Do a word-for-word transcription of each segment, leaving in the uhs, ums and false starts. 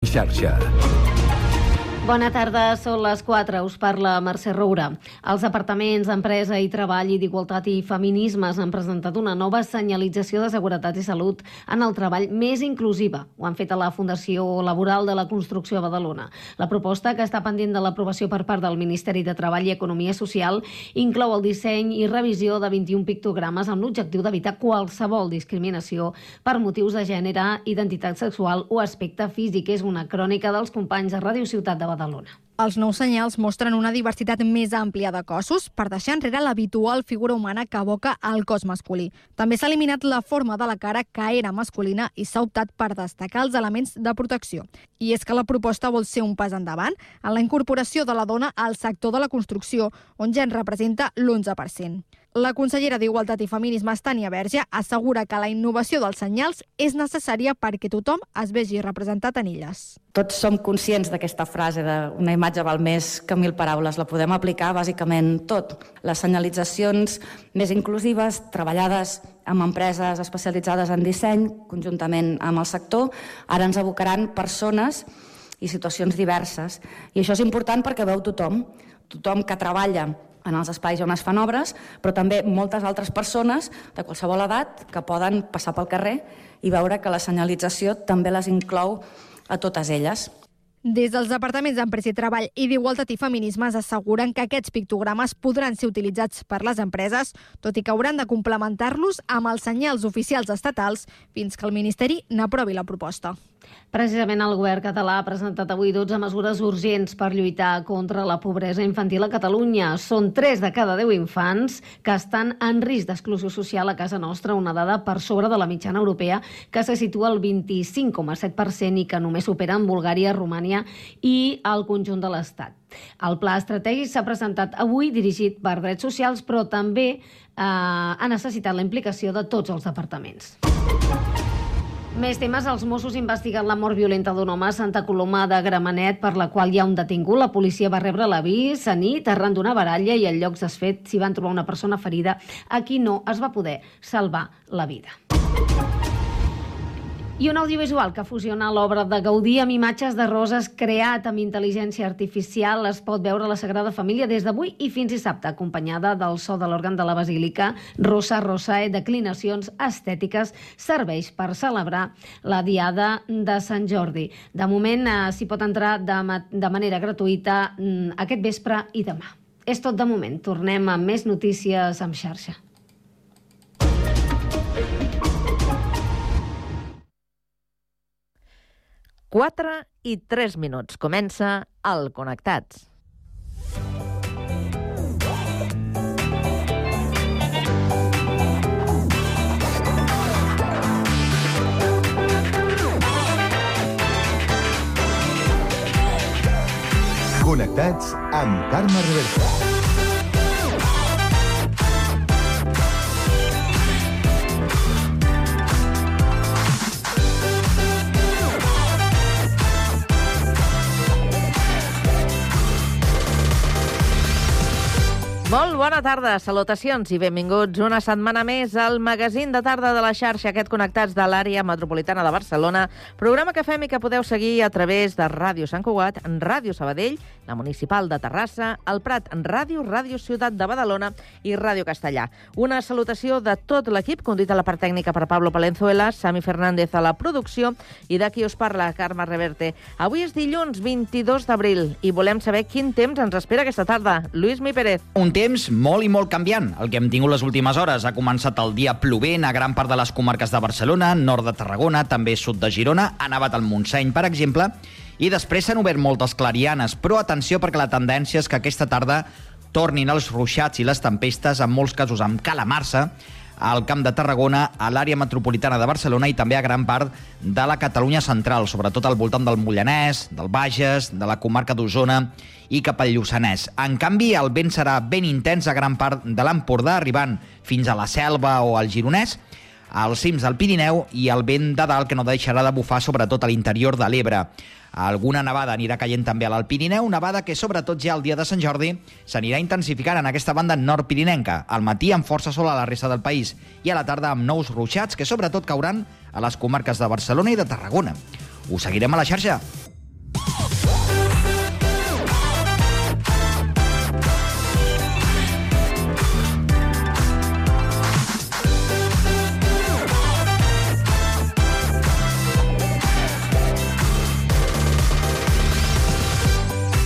xarxa. Bona tarda, són les quatre, us parla Mercè Roura. Els departaments d'Empresa i Treball i d'Igualtat i Feminismes han presentat una nova senyalització de seguretat i salut en el treball més inclusiva. Ho han fet a la Fundació Laboral de la Construcció a Badalona. La proposta, que està pendent de l'aprovació per part del Ministeri de Treball i Economia Social, inclou el disseny i revisió de vint-i-un pictogrames amb l'objectiu d'evitar qualsevol discriminació per motius de gènere, identitat sexual o aspecte físic. És una crònica dels companys de Ràdio Ciutat de Badalona. Els nous senyals mostren una diversitat més àmplia de cossos per deixar enrere l'habitual figura humana que evoca el cos masculí. També s'ha eliminat la forma de la cara, que era masculina, i s'ha optat per destacar els elements de protecció. I és que la proposta vol ser un pas endavant en la incorporació de la dona al sector de la construcció, on ja en representa l'onze per cent. La consellera d'Igualtat i Feminismes, Tània Verge, assegura que la innovació dels senyals és necessària perquè tothom es vegi representat en elles. Tots som conscients d'aquesta frase de una imatge val més que mil paraules. La podem aplicar bàsicament tot. Les senyalitzacions més inclusives, treballades amb empreses especialitzades en disseny, conjuntament amb el sector, ara ens abocaran persones i situacions diverses. I això és important perquè veu tothom, tothom que treballa en els espais on es fan obres, però també moltes altres persones de qualsevol edat que poden passar pel carrer i veure que la senyalització també les inclou a totes elles. Des dels departaments d'Empresa i Treball i d'Igualtat i Feminismes asseguren que aquests pictogrames podran ser utilitzats per les empreses, tot i que hauran de complementar-los amb els senyals oficials estatals fins que el Ministeri n'aprovi la proposta. Precisament el govern català ha presentat avui dotze mesures urgents per lluitar contra la pobresa infantil a Catalunya. Són tres de cada deu infants que estan en risc d'exclusió social a casa nostra, una dada per sobre de la mitjana europea, que se situa al vint-i-cinc coma set per cent i que només supera en Bulgària, Romània i el conjunt de l'Estat. El pla estratègic s'ha presentat avui, dirigit per Drets Socials, però també eh, ha necessitat la implicació de tots els departaments. Més temes. Els Mossos investiguen la mort violenta d'un home a Santa Coloma de Gramenet, per la qual hi ha un detingut. La policia va rebre l'avís a nit arran d'una baralla i al lloc dels fets s'hi van trobar una persona ferida a qui no es va poder salvar la vida. I un audiovisual que fusiona l'obra de Gaudí amb imatges de roses creat amb intel·ligència artificial es pot veure a la Sagrada Família des d'avui i fins dissabte, acompanyada del so de l'òrgan de la Basílica. Rosa Rosae, declinacions estètiques, serveix per celebrar la Diada de Sant Jordi. De moment eh, s'hi pot entrar de, ma de manera gratuïta mm, aquest vespre i demà. És tot de moment. Tornem amb més notícies amb xarxa. quatre i tres minuts. Comença el Connectats. Connectats amb Carme Reversa. Molt bona tarda, salutacions i benvinguts una setmana més al magazín de tarda de la xarxa, aquest Connectats de l'àrea metropolitana de Barcelona, programa que fem i que podeu seguir a través de Ràdio Sant Cugat, Ràdio Sabadell, la Municipal de Terrassa, el Prat Ràdio, Ràdio Ciutat de Badalona i Ràdio Castellà. Una salutació de tot l'equip, conduït a la part tècnica per Pablo Palenzuela, Sami Fernández a la producció i d'aquí us parla Carme Reverte. Avui és dilluns vint-i-dos d'abril i volem saber quin temps ens espera aquesta tarda. Lluís Mi Pérez. Un temps molt i molt canviant. El que hem tingut les últimes hores ha començat el dia plovent a gran part de les comarques de Barcelona, nord de Tarragona, també sud de Girona, ha nevat al Montseny, per exemple, i després s'han obert moltes clarianes, però atenció perquè la tendència és que aquesta tarda tornin els ruixats i les tempestes, en molts casos amb calamarsa, al Camp de Tarragona, a l'àrea metropolitana de Barcelona i també a gran part de la Catalunya central, sobretot al voltant del Mollanès, del Bages, de la comarca d'Osona i cap al Lluçanès. En canvi, el vent serà ben intens a gran part de l'Empordà, arribant fins a la Selva o al Gironès, als cims del Pirineu i el vent de dalt que no deixarà de bufar sobretot a l'interior de l'Ebre. Alguna nevada anirà caient també a l'Alt Pirineu, nevada que sobretot ja el dia de Sant Jordi s'anirà intensificant en aquesta banda nord-pirinenca, al matí amb força sol a la resta del país i a la tarda amb nous ruixats que sobretot cauran a les comarques de Barcelona i de Tarragona. Us seguirem a la xarxa.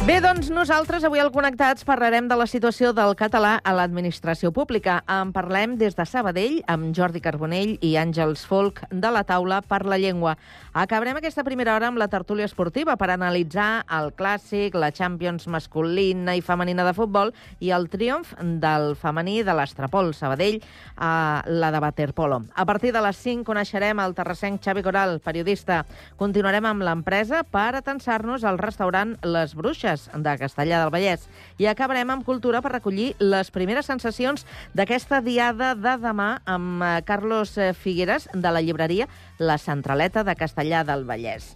Bé, doncs nosaltres avui al Connectats parlarem de la situació del català a l'administració pública. En parlem des de Sabadell amb Jordi Carbonell i Àngels Folk de la Taula per la Llengua. Acabarem aquesta primera hora amb la tertúlia esportiva per analitzar el clàssic, la Champions masculina i femenina de futbol i el triomf del femení de l'Estrapol Sabadell a la de waterpolo. A partir de les cinc coneixerem el terrassenc Xavi Coral, periodista. Continuarem amb l'empresa per atensar-nos al restaurant Les Bruixes de Castellar del Vallès. I acabarem amb cultura per recollir les primeres sensacions d'aquesta diada de demà amb Carlos Figueres de la llibreria La Centraleta de Castellar del Vallès.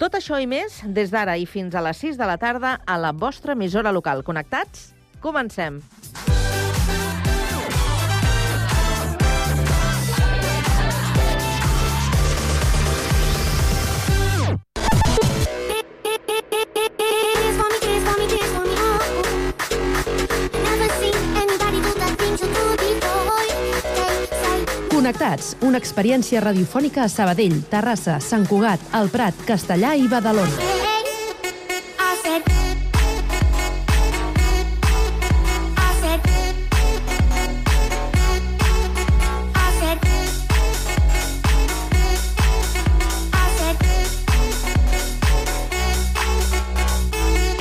Tot això i més des d'ara i fins a les sis de la tarda a la vostra emissora local. Connectats? Comencem! Connectats, una experiència radiofònica a Sabadell, Terrassa, Sant Cugat, El Prat, Castellar i Badalona.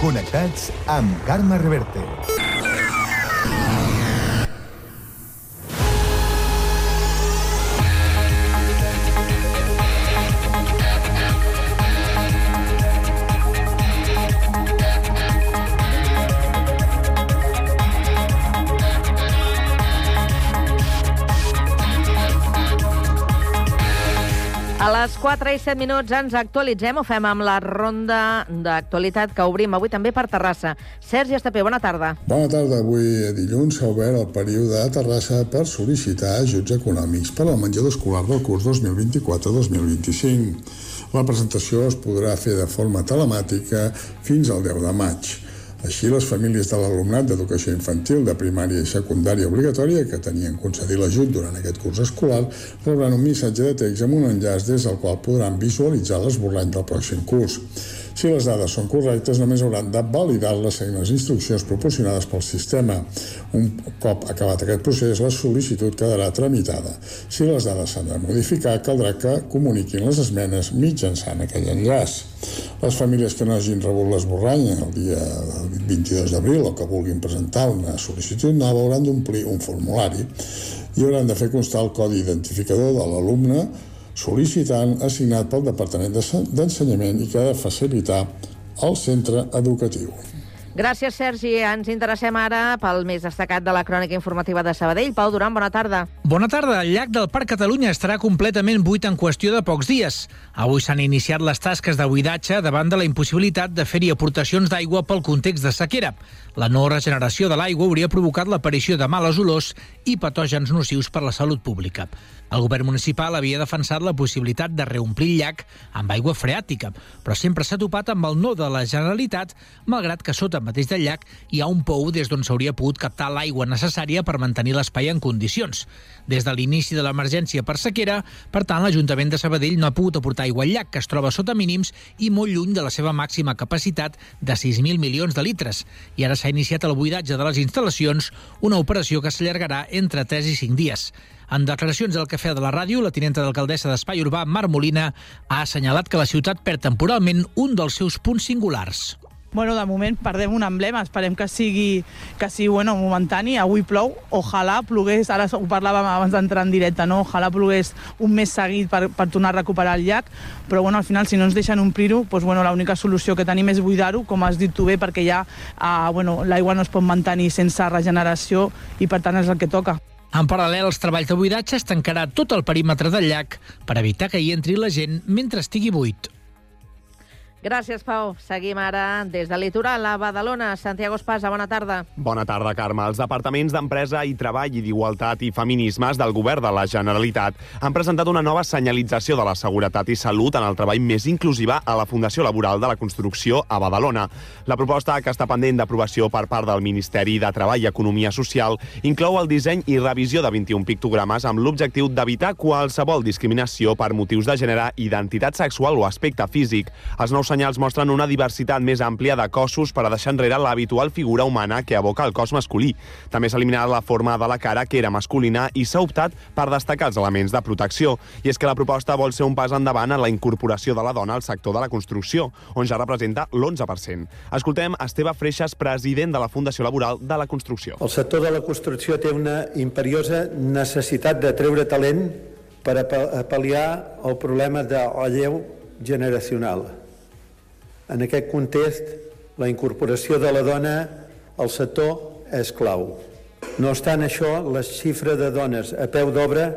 Connectats amb Carme Reverte. A les quatre i set minuts ens actualitzem, ho fem amb la ronda d'actualitat que obrim avui també per Terrassa. Sergi Estapé, bona tarda. Bona tarda. Avui dilluns s'ha obert el període a Terrassa per sol·licitar ajuts econòmics per al menjador escolar del curs dos mil vint-i-quatre dos mil vint-i-cinc. La presentació es podrà fer de forma telemàtica fins al deu de maig. Així, les famílies de l'alumnat d'educació infantil de primària i secundària obligatòria que tenien concedit l'ajut durant aquest curs escolar rebran un missatge de text amb un enllaç des del qual podran visualitzar l'esborrany del pròxim curs. Si les dades són correctes, només hauran de validar-les seguint les instruccions proporcionades pel sistema. Un cop acabat aquest procés, la sol·licitud quedarà tramitada. Si les dades s'han de modificar, caldrà que comuniquin les esmenes mitjançant aquell enllaç. Les famílies que no hagin rebut l'esborrany el dia vint-i-dos d'abril o que vulguin presentar una sol·licitud nova hauran d'omplir un formulari i hauran de fer constar el codi identificador de l'alumne sol·licitant assignat pel Departament d'Ensenyament i que ha de facilitar el centre educatiu. Gràcies, Sergi. Ens interessem ara pel més destacat de la crònica informativa de Sabadell. Pau Duran, bona tarda. Bona tarda. El llac del Parc Catalunya estarà completament buit en qüestió de pocs dies. Avui s'han iniciat les tasques de buidatge davant de la impossibilitat de fer-hi aportacions d'aigua pel context de sequera. La no regeneració de l'aigua hauria provocat l'aparició de males olors i patògens nocius per la salut pública. El govern municipal havia defensat la possibilitat de reomplir el llac amb aigua freàtica, però sempre s'ha topat amb el no de la Generalitat, malgrat que sota mateix del llac hi ha un pou des d'on s'hauria pogut captar l'aigua necessària per mantenir l'espai en condicions. Des de l'inici de l'emergència per sequera, per tant, l'Ajuntament de Sabadell no ha pogut aportar aigua al llac, que es troba sota mínims i molt lluny de la seva màxima capacitat de sis mil milions de litres. I ara s'ha iniciat el buidatge de les instal·lacions, una operació que s'allargarà entre tres i cinc dies. En declaracions al Cafè de la Ràdio, la tinenta d'alcaldessa d'Espai Urbà, Mar Molina, ha assenyalat que la ciutat perd temporalment un dels seus punts singulars. Bueno, de moment perdem un emblema, esperem que sigui, que sigui bueno, momentani. Avui plou, ojalà plogués, ara ho parlàvem abans d'entrar en directe, no? Ojalà plogués un mes seguit per, per tornar a recuperar el llac, però bueno, al final si no ens deixen omplir-ho, doncs, bueno, l'única solució que tenim és buidar-ho, com has dit tu bé, perquè ja eh, bueno, l'aigua no es pot mantenir sense regeneració i per tant és el que toca. En paral·lel als treballs de buidatge es tancarà tot el perímetre del llac per evitar que hi entri la gent mentre estigui buit. Gràcies, Pau. Seguim ara des del litoral a Badalona. Santiago Espasa, bona tarda. Bona tarda, Carme. Els departaments d'Empresa i Treball i d'Igualtat i Feminismes del Govern de la Generalitat han presentat una nova senyalització de la seguretat i salut en el treball més inclusiva a la Fundació Laboral de la Construcció a Badalona. La proposta, que està pendent d'aprovació per part del Ministeri de Treball i Economia Social, inclou el disseny i revisió de vint-i-un pictogrames amb l'objectiu d'evitar qualsevol discriminació per motius de gènere, identitat sexual o aspecte físic. Els nous senyals mostren una diversitat més àmplia de cossos per a deixar enrere l'habitual figura humana que evoca el cos masculí. També s'ha eliminat la forma de la cara, que era masculina, i s'ha optat per destacar els elements de protecció. I és que la proposta vol ser un pas endavant en la incorporació de la dona al sector de la construcció, on ja representa l'onze per cent. Escoltem Esteve Freixas, president de la Fundació Laboral de la Construcció. El sector de la construcció té una imperiosa necessitat de treure talent per a pal·liar el problema de relleu generacional. En aquest context, la incorporació de la dona al sector és clau. No obstant això, la xifra de dones a peu d'obra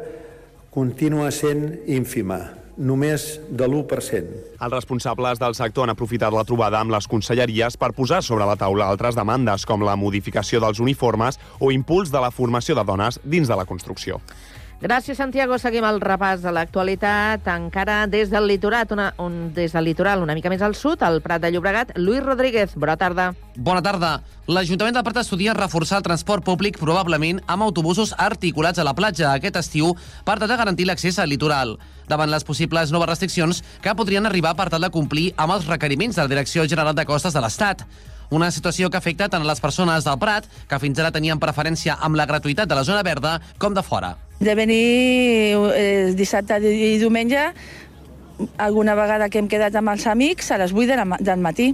continua sent ínfima, només de l'u per cent. Els responsables del sector han aprofitat la trobada amb les conselleries per posar sobre la taula altres demandes, com la modificació dels uniformes o impuls de la formació de dones dins de la construcció. Gràcies, Santiago. Seguim el repàs de l'actualitat encara des del litoral, una, un, des del litoral una mica més al sud, al Prat de Llobregat. Lluís Rodríguez, bona tarda. Bona tarda. L'Ajuntament del Prat estudia reforçar el transport públic, probablement amb autobusos articulats a la platja aquest estiu per tal de garantir l'accés al litoral, davant les possibles noves restriccions que podrien arribar per tal de complir amb els requeriments de la Direcció General de Costes de l'Estat. Una situació que afecta tant a les persones del Prat, que fins ara tenien preferència amb la gratuïtat de la zona verda, com de fora. De venir eh, dissabte i diumenge, alguna vegada que hem quedat amb els amics, a les vuit del matí.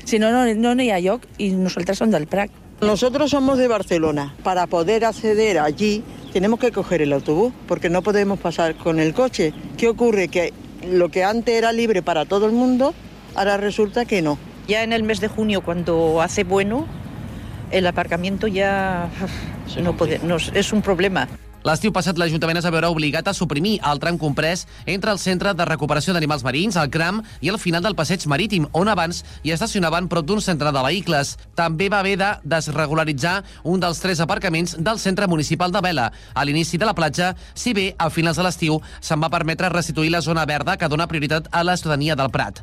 Si no, no, no hi ha lloc, i nosaltres som del Prat. Nosotros somos de Barcelona. Para poder acceder allí tenemos que coger el autobús, porque no podemos pasar con el coche. ¿Qué ocurre? Que lo que antes era libre para todo el mundo, ahora resulta que no. Ya en el mes de junio, cuando hace bueno, el aparcamiento ya no puede, no, es un problema. L'estiu passat l'Ajuntament es va veure obligat a suprimir el tram comprès entre el Centre de Recuperació d'Animals Marins, el CRAM, i el final del passeig marítim, on abans hi estacionaven prop d'un centre de vehicles. També va haver de desregularitzar un dels tres aparcaments del centre municipal de Vela, a l'inici de la platja, si bé a finals de l'estiu se'n va permetre restituir la zona verda que dona prioritat a la ciutadania del Prat.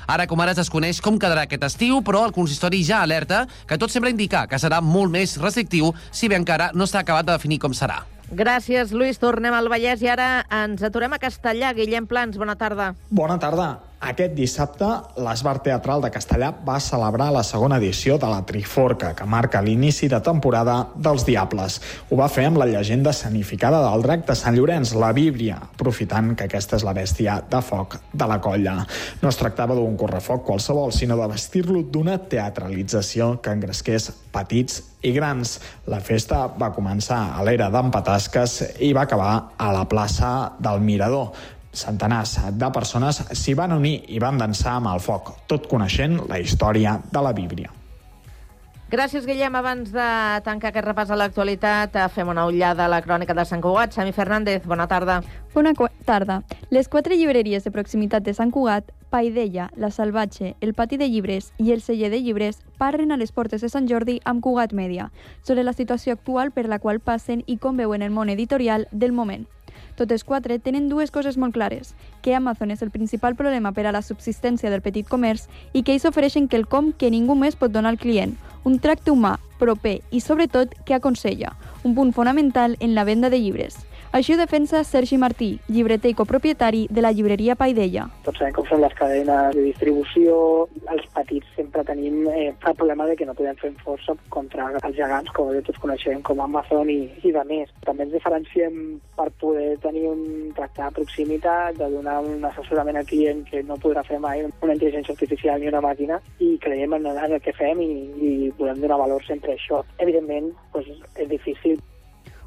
Ara com ara es desconeix com quedarà aquest estiu, però el consistori ja alerta que tot sembla indicar que serà molt més restrictiu, si bé encara no està acabat de definir com serà. Gràcies, Lluís. Tornem al Vallès i ara ens aturem a Castellà. Guillem Plans, bona tarda. Bona tarda. Aquest dissabte, l'Esbart Teatral de Castellà va celebrar la segona edició de la Triforca, que marca l'inici de temporada dels Diables. Ho va fer amb la llegenda escenificada del drac de Sant Llorenç, la Víbria, aprofitant que aquesta és la bèstia de foc de la colla. No es tractava d'un correfoc qualsevol, sinó de vestir-lo d'una teatralització que engresqués petits i grans. La festa va començar a l'era d'en Patasques i va acabar a la plaça del Mirador. Centenars de persones s'hi van unir i van dansar amb el foc, tot coneixent la història de la Víbria. Gràcies, Guillem. Abans de tancar aquest repàs a l'actualitat, fem una ullada a la crònica de Sant Cugat. Sami Fernández, bona tarda. Bona tarda. Les quatre llibreries de proximitat de Sant Cugat, Paidella, La Salvatge, el Pati de Llibres i el Celler de Llibres, parlen a les portes de Sant Jordi amb Cugat Mèdia sobre la situació actual per la qual passen i com veuen el món editorial del moment. Totes quatre tenen dues coses molt clares, que Amazon és el principal problema per a la subsistència del petit comerç i que ells ofereixen quelcom que ningú més pot donar al client, un tracte humà, proper i, sobretot, que aconsella, un punt fonamental en la venda de llibres. Així ho defensa Sergi Martí, llibreter i copropietari de la llibreria Paidella. Tots sabem com són les cadenes de distribució. Els petits sempre tenim eh, el problema de que no podem fer força contra els gegants, com tots coneixem, com Amazon i, i de més. També ens diferenciem per poder tenir un tracte de proximitat, de donar un assessorament al client que no podrà fer mai una intel·ligència artificial ni una màquina, i creiem en, en el que fem i, i podem donar valor sempre a això. Evidentment, doncs, és difícil.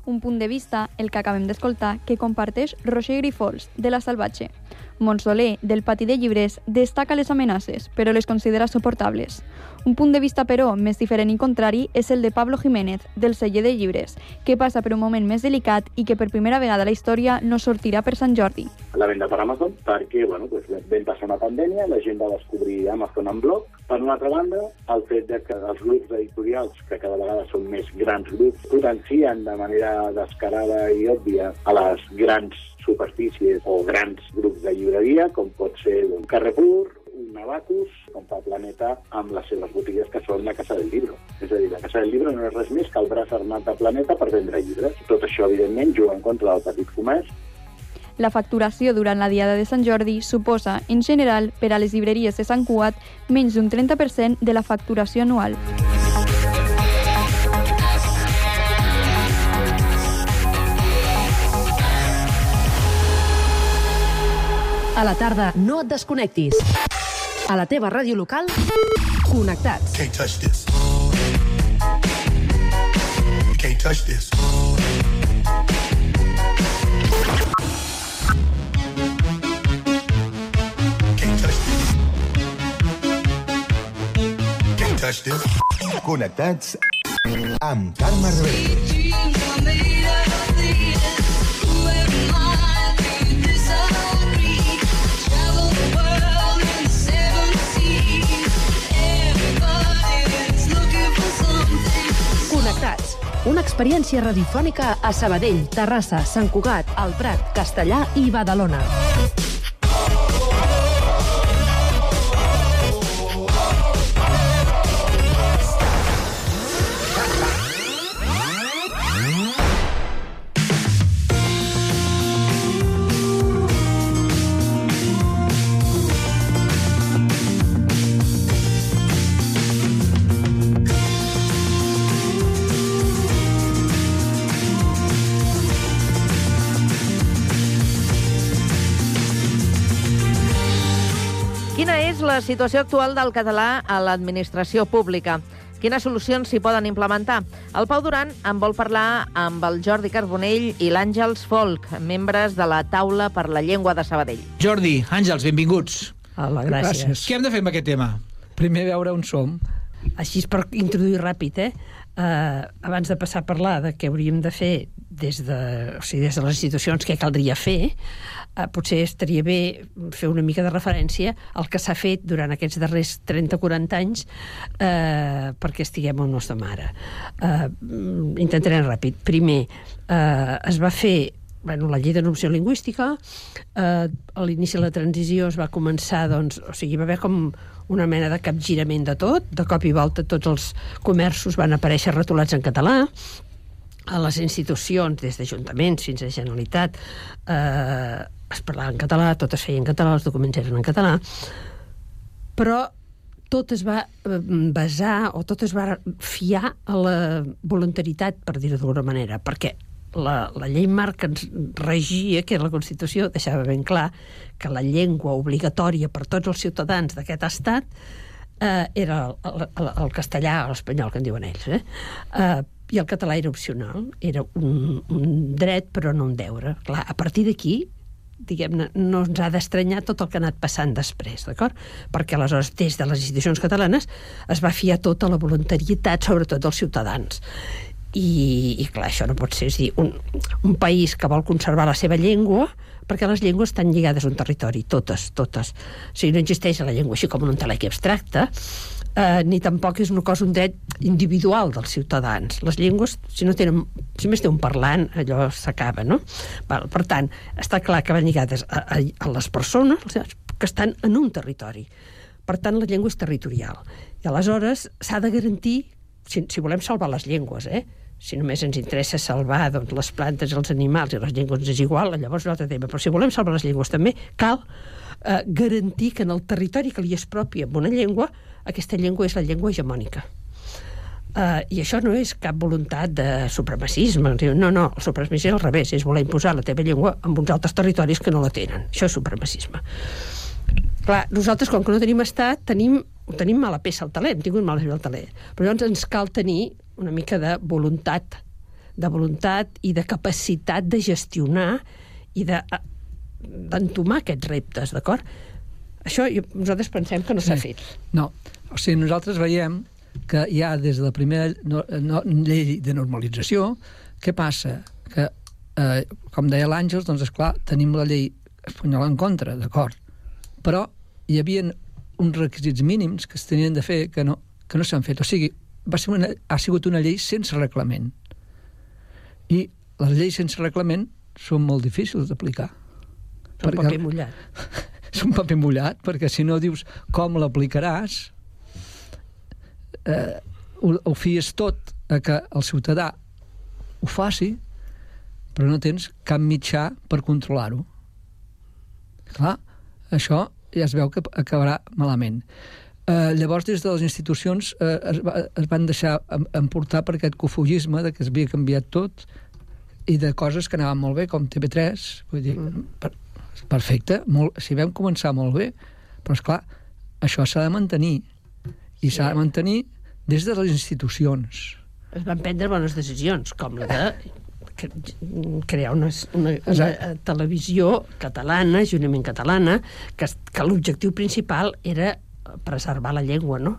Un punt de vista, el que acabem d'escoltar, que comparteix Roger Grifols, de La Salvatge. Montsoler, del Pati de Llibres, destaca les amenaces, però les considera suportables. Un punt de vista, però, més diferent i contrari és el de Pablo Jiménez, del Celler de Llibres, que passa per un moment més delicat i que per primera vegada a la història no sortirà per Sant Jordi. La venda per Amazon, perquè bueno, pues, vam passar una pandèmia, la gent va descobrir Amazon en bloc. Per una altra banda, el fet de que els grups editorials, que cada vegada són més grans grups, potencien de manera descarada i òbvia a les grans superfícies o grans grups de llibreria, com pot ser un Carrefour, un Abacus, com fa Planeta amb les seves botigues que són la Casa del Libro. És a dir, la Casa del Libro no és res més que el braç armat de Planeta per vendre llibres. Tot això, evidentment, juga en contra del petit comerç. La facturació durant la Diada de Sant Jordi suposa, en general, per a les llibreries de Sant Cugat, menys d'un trenta per cent de la facturació anual. A la tarda, no et desconnectis. A la teva ràdio local, connectats. Can't touch this. You can't touch this. Can't touch this. Can't touch this. Connectats amb Carme Reverte. Connectats. Una experiència radiofònica a Sabadell, Terrassa, Sant Cugat, El Prat, Castellar i Badalona. Quina és la situació actual del català a l'administració pública? Quines solucions s'hi poden implementar? El Pau Duran en vol parlar amb el Jordi Carbonell i l'Àngels Folk, membres de la Taula per la Llengua de Sabadell. Jordi, Àngels, benvinguts. Hola, gràcies. gràcies. Què hem de fer amb aquest tema? Primer veure on som. Així per introduir ràpid, eh? Uh, abans de passar a parlar de què hauríem de fer des de, o sigui, des de les institucions, què caldria fer, uh, potser estaria bé fer una mica de referència al que s'ha fet durant aquests darrers trenta o quaranta anys uh, perquè estiguem on no estem ara. Uh, intentaré ràpid. Primer, uh, es va fer bueno, la llei de normació lingüística, eh, a l'inici de la transició es va començar, doncs, o sigui, va haver com una mena de capgirament de tot, de cop i volta tots els comerços van aparèixer retolats en català, a les institucions, des d'ajuntaments fins a Generalitat, eh, es parlava en català, tot es feia en català, els documents eren en català, però tot es va basar, o tot es va fiar a la voluntaritat, per dir-ho d'alguna manera, perquè La, la llei marc que ens regia, que era la Constitució, deixava ben clar que la llengua obligatòria per tots els ciutadans d'aquest estat eh, era el, el, el castellà o l'espanyol, que en diuen ells. Eh? Eh, I el català era opcional, era un, un dret però no un deure. Clar, a partir d'aquí, diguem-ne, no ens ha d'estranyar tot el que ha anat passant després, d'acord? Perquè aleshores, des de les institucions catalanes, es va fiar tota la voluntarietat, sobretot dels ciutadans. I, i clar, això no pot ser, és dir, un, un país que vol conservar la seva llengua, perquè les llengües estan lligades a un territori, totes, totes. O sigui, no existeix la llengua així com un entelèquia abstracte, eh, ni tampoc és una cosa, un dret individual dels ciutadans. Les llengües, si no tenen, si només té un parlant, allò s'acaba, no? Val, per tant, està clar que van lligades a, a, a les persones que estan en un territori. Per tant, la llengua és territorial. I aleshores s'ha de garantir, si, si volem salvar les llengües, eh? Si només ens interessa salvar doncs, les plantes, els animals i les llengües és igual, llavors és un altre tema. Però si volem salvar les llengües també, cal eh, garantir que en el territori que li és propi amb una llengua, aquesta llengua és la llengua hegemònica. Eh, I això no és cap voluntat de supremacisme. No, no, el supremacisme és al revés, és voler imposar la teva llengua en uns altres territoris que no la tenen. Això és supremacisme. Clar, nosaltres, com que no tenim estat, tenim, tenim mala peça al taler, hem tingut mala peça al taler. Però llavors ens cal tenir una mica de voluntat, de voluntat i de capacitat de gestionar i de, d'entomar aquests reptes, d'acord? Això jo, nosaltres pensem que no s'ha fet. No, o sigui, nosaltres veiem que ja des de la primera no, no, llei de normalització, què passa? Que, eh, com deia l'Àngels, doncs, esclar, tenim la llei espanyola en contra, d'acord? Però hi havia uns requisits mínims que es tenien de fer que no, que no s'han fet. O sigui, va ser una, ha sigut una llei sense reglament. I les lleis sense reglament són molt difícils d'aplicar. És un paper mullat. És un paper mullat, perquè si no dius com l'aplicaràs, eh, ho, ho fies tot a que el ciutadà ho faci, però no tens cap mitjà per controlar-ho. Clar, això ja es veu que acabarà malament. Uh, llavors, des de les institucions uh, es, va, es van deixar emportar per aquest cofogisme de que es havia canviat tot i de coses que anaven molt bé, com T V tres, vull dir, mm. per, perfecte, molt, si vam començar molt bé, però esclar, això s'ha de mantenir, i sí. s'ha de mantenir des de les institucions. Es van prendre bones decisions, com la de crear una, una, una televisió catalana, juntament catalana, que, que l'objectiu principal era preservar la llengua, no?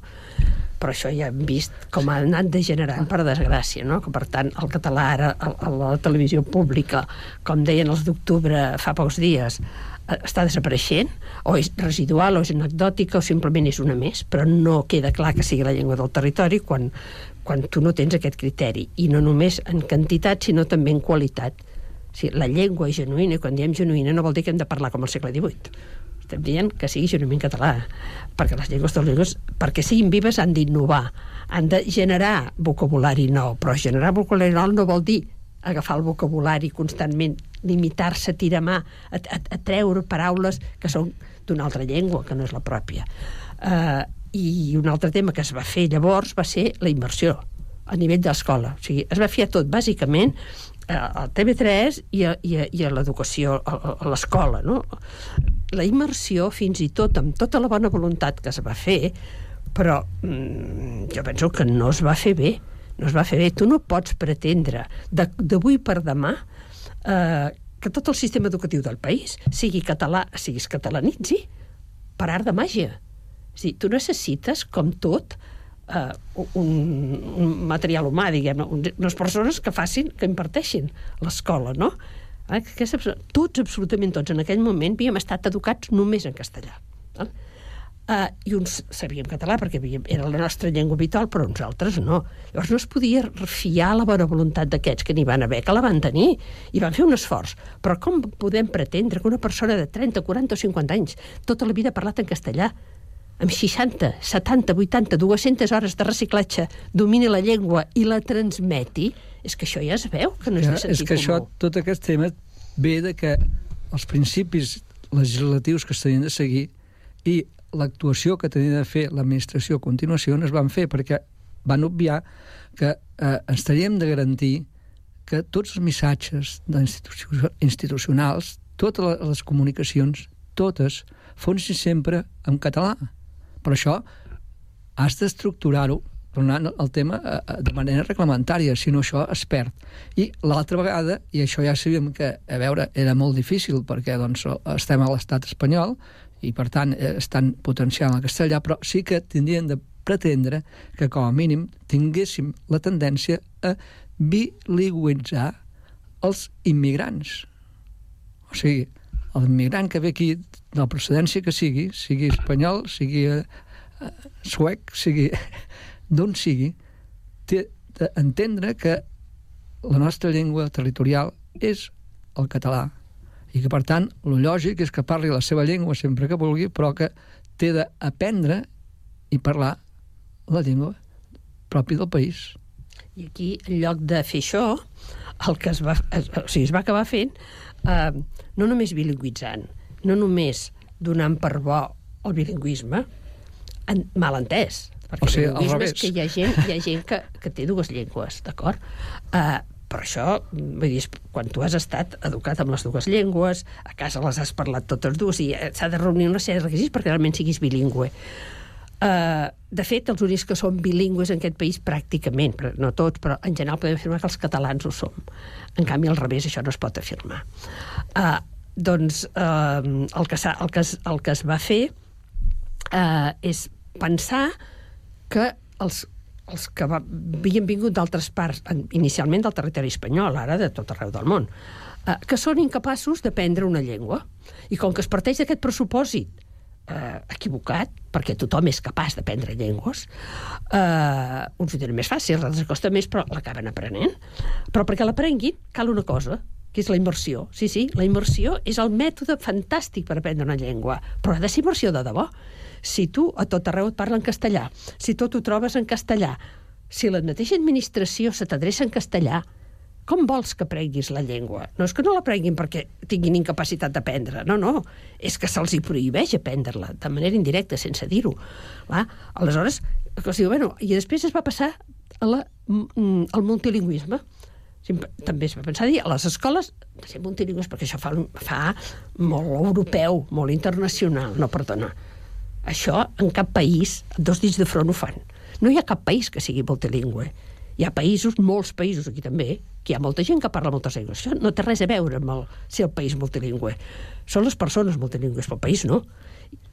Però això ja hem vist com ha anat degenerant, per desgràcia, no? Que per tant el català ara a la televisió pública, com deien els d'octubre fa pocs dies, està desapareixent, o és residual, o és anecdòtica, o simplement és una més, però no queda clar que sigui la llengua del territori quan, quan tu no tens aquest criteri, i no només en quantitat, sinó també en qualitat. O sigui, la llengua és genuïna, i quan diem genuïna no vol dir que hem de parlar com al segle divuit. Estem dient que sigui genuïn català, perquè les llengües de les llengües, perquè siguin vives, han d'innovar, han de generar vocabulari nou, però generar vocabulari nou no vol dir agafar el vocabulari constantment, limitar-se, tirar mà, a, a, a treure paraules que són d'una altra llengua, que no és la pròpia. Uh, I un altre tema que es va fer llavors va ser la immersió a nivell de l'escola. O sigui, es va fer tot, bàsicament, a T V tres i a, i a, i a l'educació, a, a l'escola, no? La immersió, fins i tot, amb tota la bona voluntat que es va fer, però mm, jo penso que no es va fer bé. No es va fer bé. Tu no pots pretendre d'avui per demà eh, que tot el sistema educatiu del país sigui català, siguis catalanitzi, per art de màgia. O sigui, tu necessites, com tot, Uh, un, un material humà, diguem, unes persones que facin, que imparteixin l'escola, no? Eh? Que és, tots, absolutament tots, en aquell moment havíem estat educats només en castellà. Eh? Uh, I uns sabíem català perquè havíem, era la nostra llengua habitual, però uns altres no. Llavors no es podia fiar la bona voluntat d'aquests que n'hi van haver, que la van tenir, i van fer un esforç. Però com podem pretendre que una persona de trenta, quaranta o cinquanta anys tota la vida ha parlat en castellà, amb seixanta, setanta, vuitanta, dues-centes hores de reciclatge, domini la llengua i la transmeti, és que això ja es veu, que no és ja, de sentit és que comú. Això, tot aquest tema ve de que els principis legislatius que s'havien de seguir i l'actuació que tenia de fer l'administració a continuació no es van fer, perquè van obviar que eh, ens teníem de garantir que tots els missatges institucionals, totes les comunicacions, totes, fossin sempre en català. Per això has d'estructurar-ho, tornant al tema de manera reglamentària, si no això es perd. I l'altra vegada, i això ja sabíem que, a veure, era molt difícil perquè doncs, estem a l'estat espanyol i per tant estan potenciant el castellà, però sí que tindrien de pretendre que com a mínim tinguéssim la tendència a bilingüitzar els immigrants. O sigui, l'immigrant que ve aquí, de la procedència que sigui, sigui espanyol, sigui uh, suec, sigui d'on sigui, té d'entendre que la nostra llengua territorial és el català i que, per tant, el lògic és que parli la seva llengua sempre que vulgui, però que té d'aprendre i parlar la llengua pròpia del país. I aquí, en lloc de fer això, el que es va, o sigui, es va acabar fent, eh, no només bilingüitzant, no només donant per bo el bilingüisme, en, mal entès, perquè o sigui, el bilingüisme és que hi ha gent, hi ha gent que, que té dues llengües, d'acord? Uh, però això, vull dir, quan tu has estat educat amb les dues llengües, a casa les has parlat totes dues, i s'ha de reunir una sèrie de requisits perquè realment siguis bilingüe. Uh, de fet, els únics que són bilingües en aquest país pràcticament, però no tots, però en general podem afirmar que els catalans ho som. En canvi, al revés, això no es pot afirmar. Uh, doncs eh, el, que el, que es, el que es va fer eh, és pensar que els, els que va, havien vingut d'altres parts, inicialment del territori espanyol, ara de tot arreu del món, eh, que són incapaços d'aprendre una llengua. I com que es parteix d'aquest pressupòsit eh, equivocat, perquè tothom és capaç d'aprendre llengües, eh, uns ho tenen més fàcil, altres costa més, però l'acaben aprenent. Però perquè l'aprenguin cal una cosa, que és la immersió. Sí, sí, la immersió és el mètode fantàstic per aprendre una llengua, però ha de ser immersió de debò. Si tu a tot arreu et parla en castellà, si tot ho trobes en castellà, si la mateixa administració se t'adreça en castellà, com vols que aprenguis la llengua? No és que no l'aprenguin perquè tinguin incapacitat d'aprendre, no, no, és que se'ls hi prohibeix aprendre-la, de manera indirecta, sense dir-ho. Clar, aleshores, es diu, bueno, i després es va passar a la, al multilingüisme. També es va pensar dir, a les escoles, de ser multilingües, perquè això fa, fa molt europeu, molt internacional, no, perdona. Això en cap país, dos dits de front ho fan. No hi ha cap país que sigui multilingüe. Hi ha països, molts països aquí també, que hi ha molta gent que parla moltes llengües. Això no té res a veure amb el, ser el país multilingüe. Són les persones multilingües, però el país no.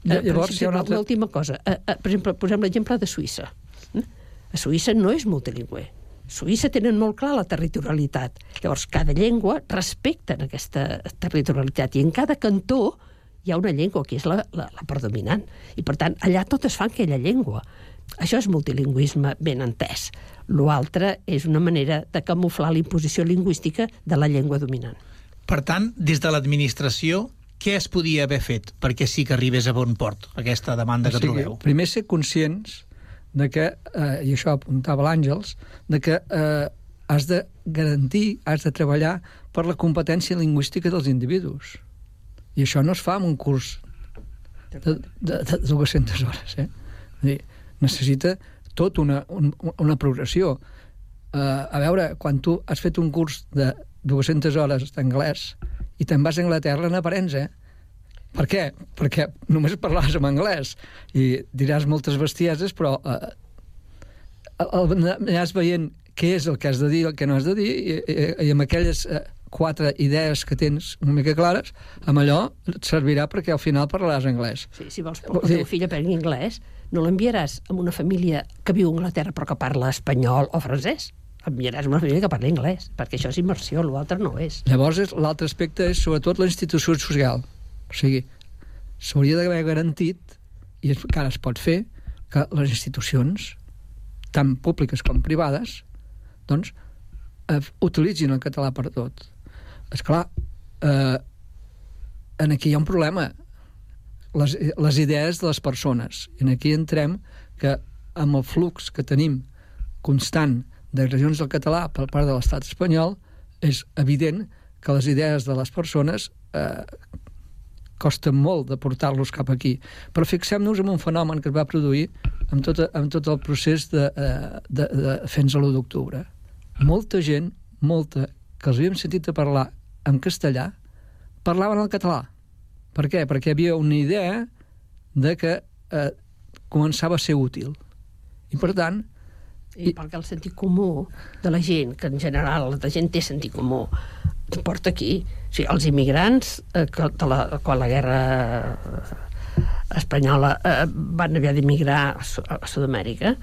Llavors, hi ha una altra... L'última cosa. Per exemple, posem l'exemple de Suïssa. A Suïssa no és multilingüe. A Suïssa tenen molt clar la territorialitat. Llavors, cada llengua respecten aquesta territorialitat i en cada cantó hi ha una llengua que és la, la, la predominant. I, per tant, allà totes fan aquella llengua. Això és multilingüisme ben entès. L'altre és una manera de camuflar la imposició lingüística de la llengua dominant. Per tant, des de l'administració, què es podia haver fet perquè sí que arribés a bon port, aquesta demanda que o sigui, trobeu? Primer ser conscients de que, eh, i això apuntava l'Àngels, de que eh, has de garantir, has de treballar per la competència lingüística dels individus. I això no es fa en un curs de, de, de dues-centes hores. Eh? Dir, necessita tot una, un, una progressió. Uh, a veure, quan tu has fet un curs de dues-centes hores d'anglès i te'n vas a Anglaterra n'aprens, eh? Per què? Perquè només parlaràs en anglès i diràs moltes bestieses, però uh, aniràs veient què és el que has de dir, el que no has de dir, i, i, i amb aquelles uh, quatre idees que tens una mica clares, amb allò et servirà perquè al final parlaràs anglès. Sí, si vols que el teu fill aprengui anglès, no l'enviaràs a una família que viu a Anglaterra però que parla espanyol o francès. L'enviaràs a una família que parla anglès, perquè això és immersió, l'altre no és. Llavors, l'altre aspecte és sobretot la institució social. O sigui, s'hauria d'haver garantit, i encara es pot fer, que les institucions, tant públiques com privades, doncs, eh, utilitzin el català per tot. Esclar, eh, en aquí hi ha un problema. Les, les idees de les persones. I aquí entrem que amb el flux que tenim constant d'agressions del català per part de l'estat espanyol, és evident que les idees de les persones eh, costa molt de portar-los cap aquí. Però fixem-nos en un fenomen que es va produir amb tot, amb tot el procés de, de, de fins a l'u d'octubre. Molta gent, molta, que els havíem sentit a parlar en castellà, parlaven el català. Per què? Perquè hi havia una idea de que eh, començava a ser útil. I per tant... I, I perquè el sentit comú de la gent, que en general la gent té sentit comú, et porta aquí. O sigui, els immigrants, eh, que de la, quan la guerra espanyola eh, van haver d'emigrar a, a Sud-amèrica,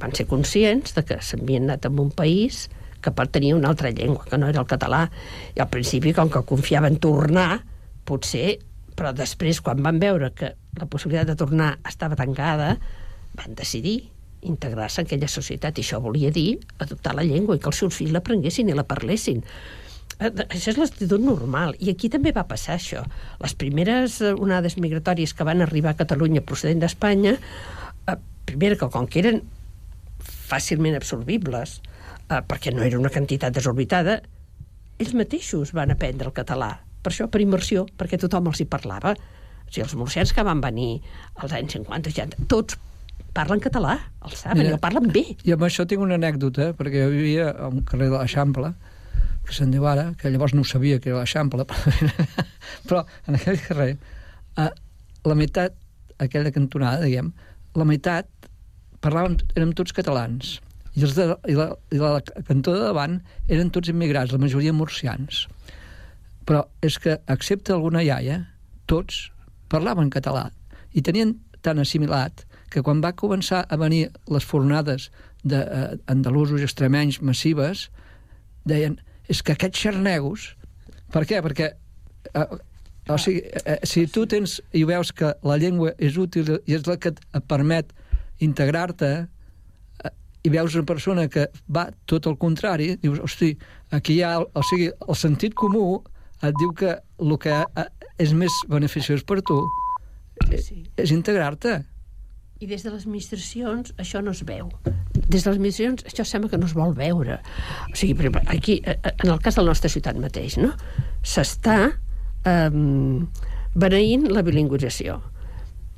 van ser conscients de que s'havien anat en un país que tenia una altra llengua, que no era el català. I al principi, com que confiaven tornar, potser, però després, quan van veure que la possibilitat de tornar estava tancada, van decidir integrar-se en aquella societat. I això volia dir adoptar la llengua i que els seus fills l'aprenguessin i la parlessin. Això és l'actitud normal. I aquí també va passar això. Les primeres onades migratòries que van arribar a Catalunya procedent d'Espanya, eh, primera que com que eren fàcilment absorbibles, eh, perquè no era una quantitat desorbitada, ells mateixos van aprendre el català. Per això, per immersió, perquè tothom els hi parlava. O sigui, els murcians que van venir als anys cinquanta, seixanta, tots parlen català, els saben, i el parlen bé. I amb això tinc una anècdota, perquè jo vivia a un carrer de l'Eixample, que se'n diu ara, que llavors no sabia que era l'Eixample, però en aquell carrer, eh, la meitat, aquella cantonada, diguem, la meitat parlàvem, érem tots catalans, i, els de, i, la, i la cantó de davant eren tots immigrats, la majoria murcians. Però és que, excepte alguna iaia, tots parlaven català, i tenien tan assimilat que quan va començar a venir les fornades d'andalusos i extremenys massives, deien, és que aquests xarnegos... Per què? Perquè eh, o sigui, eh, si tu tens i veus que la llengua és útil i és la que et permet integrar-te, eh, i veus una persona que va tot el contrari, dius, hosti, aquí hi ha... O sigui, el sentit comú et diu que el que és més beneficiós per tu sí. és integrar-te. I des de les administracions això no es veu. Des de les administracions això sembla que no es vol veure. O sigui, per exemple, aquí, en el cas de la nostra ciutat mateix, no? S'està eh, beneint la bilingüització.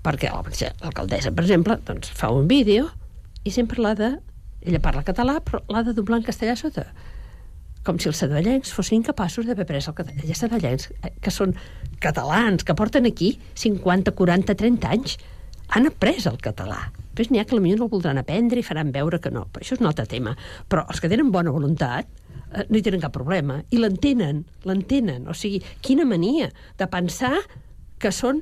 Perquè l'alcaldessa, per exemple, doncs, fa un vídeo i sempre l'ha de... Ella parla català, però l'ha de doblar en castellà sota. Com si els sabadellencs fossin incapaços d'haver pres el català. Els sabadellencs, que són catalans, que porten aquí cinquanta, quaranta, trenta anys, han après el català. Després n'hi ha que potser no el voldran aprendre i faran veure que no. Però això és un altre tema. Però els que tenen bona voluntat eh, no hi tenen cap problema. I l'entenen, l'entenen. O sigui, quina mania de pensar que són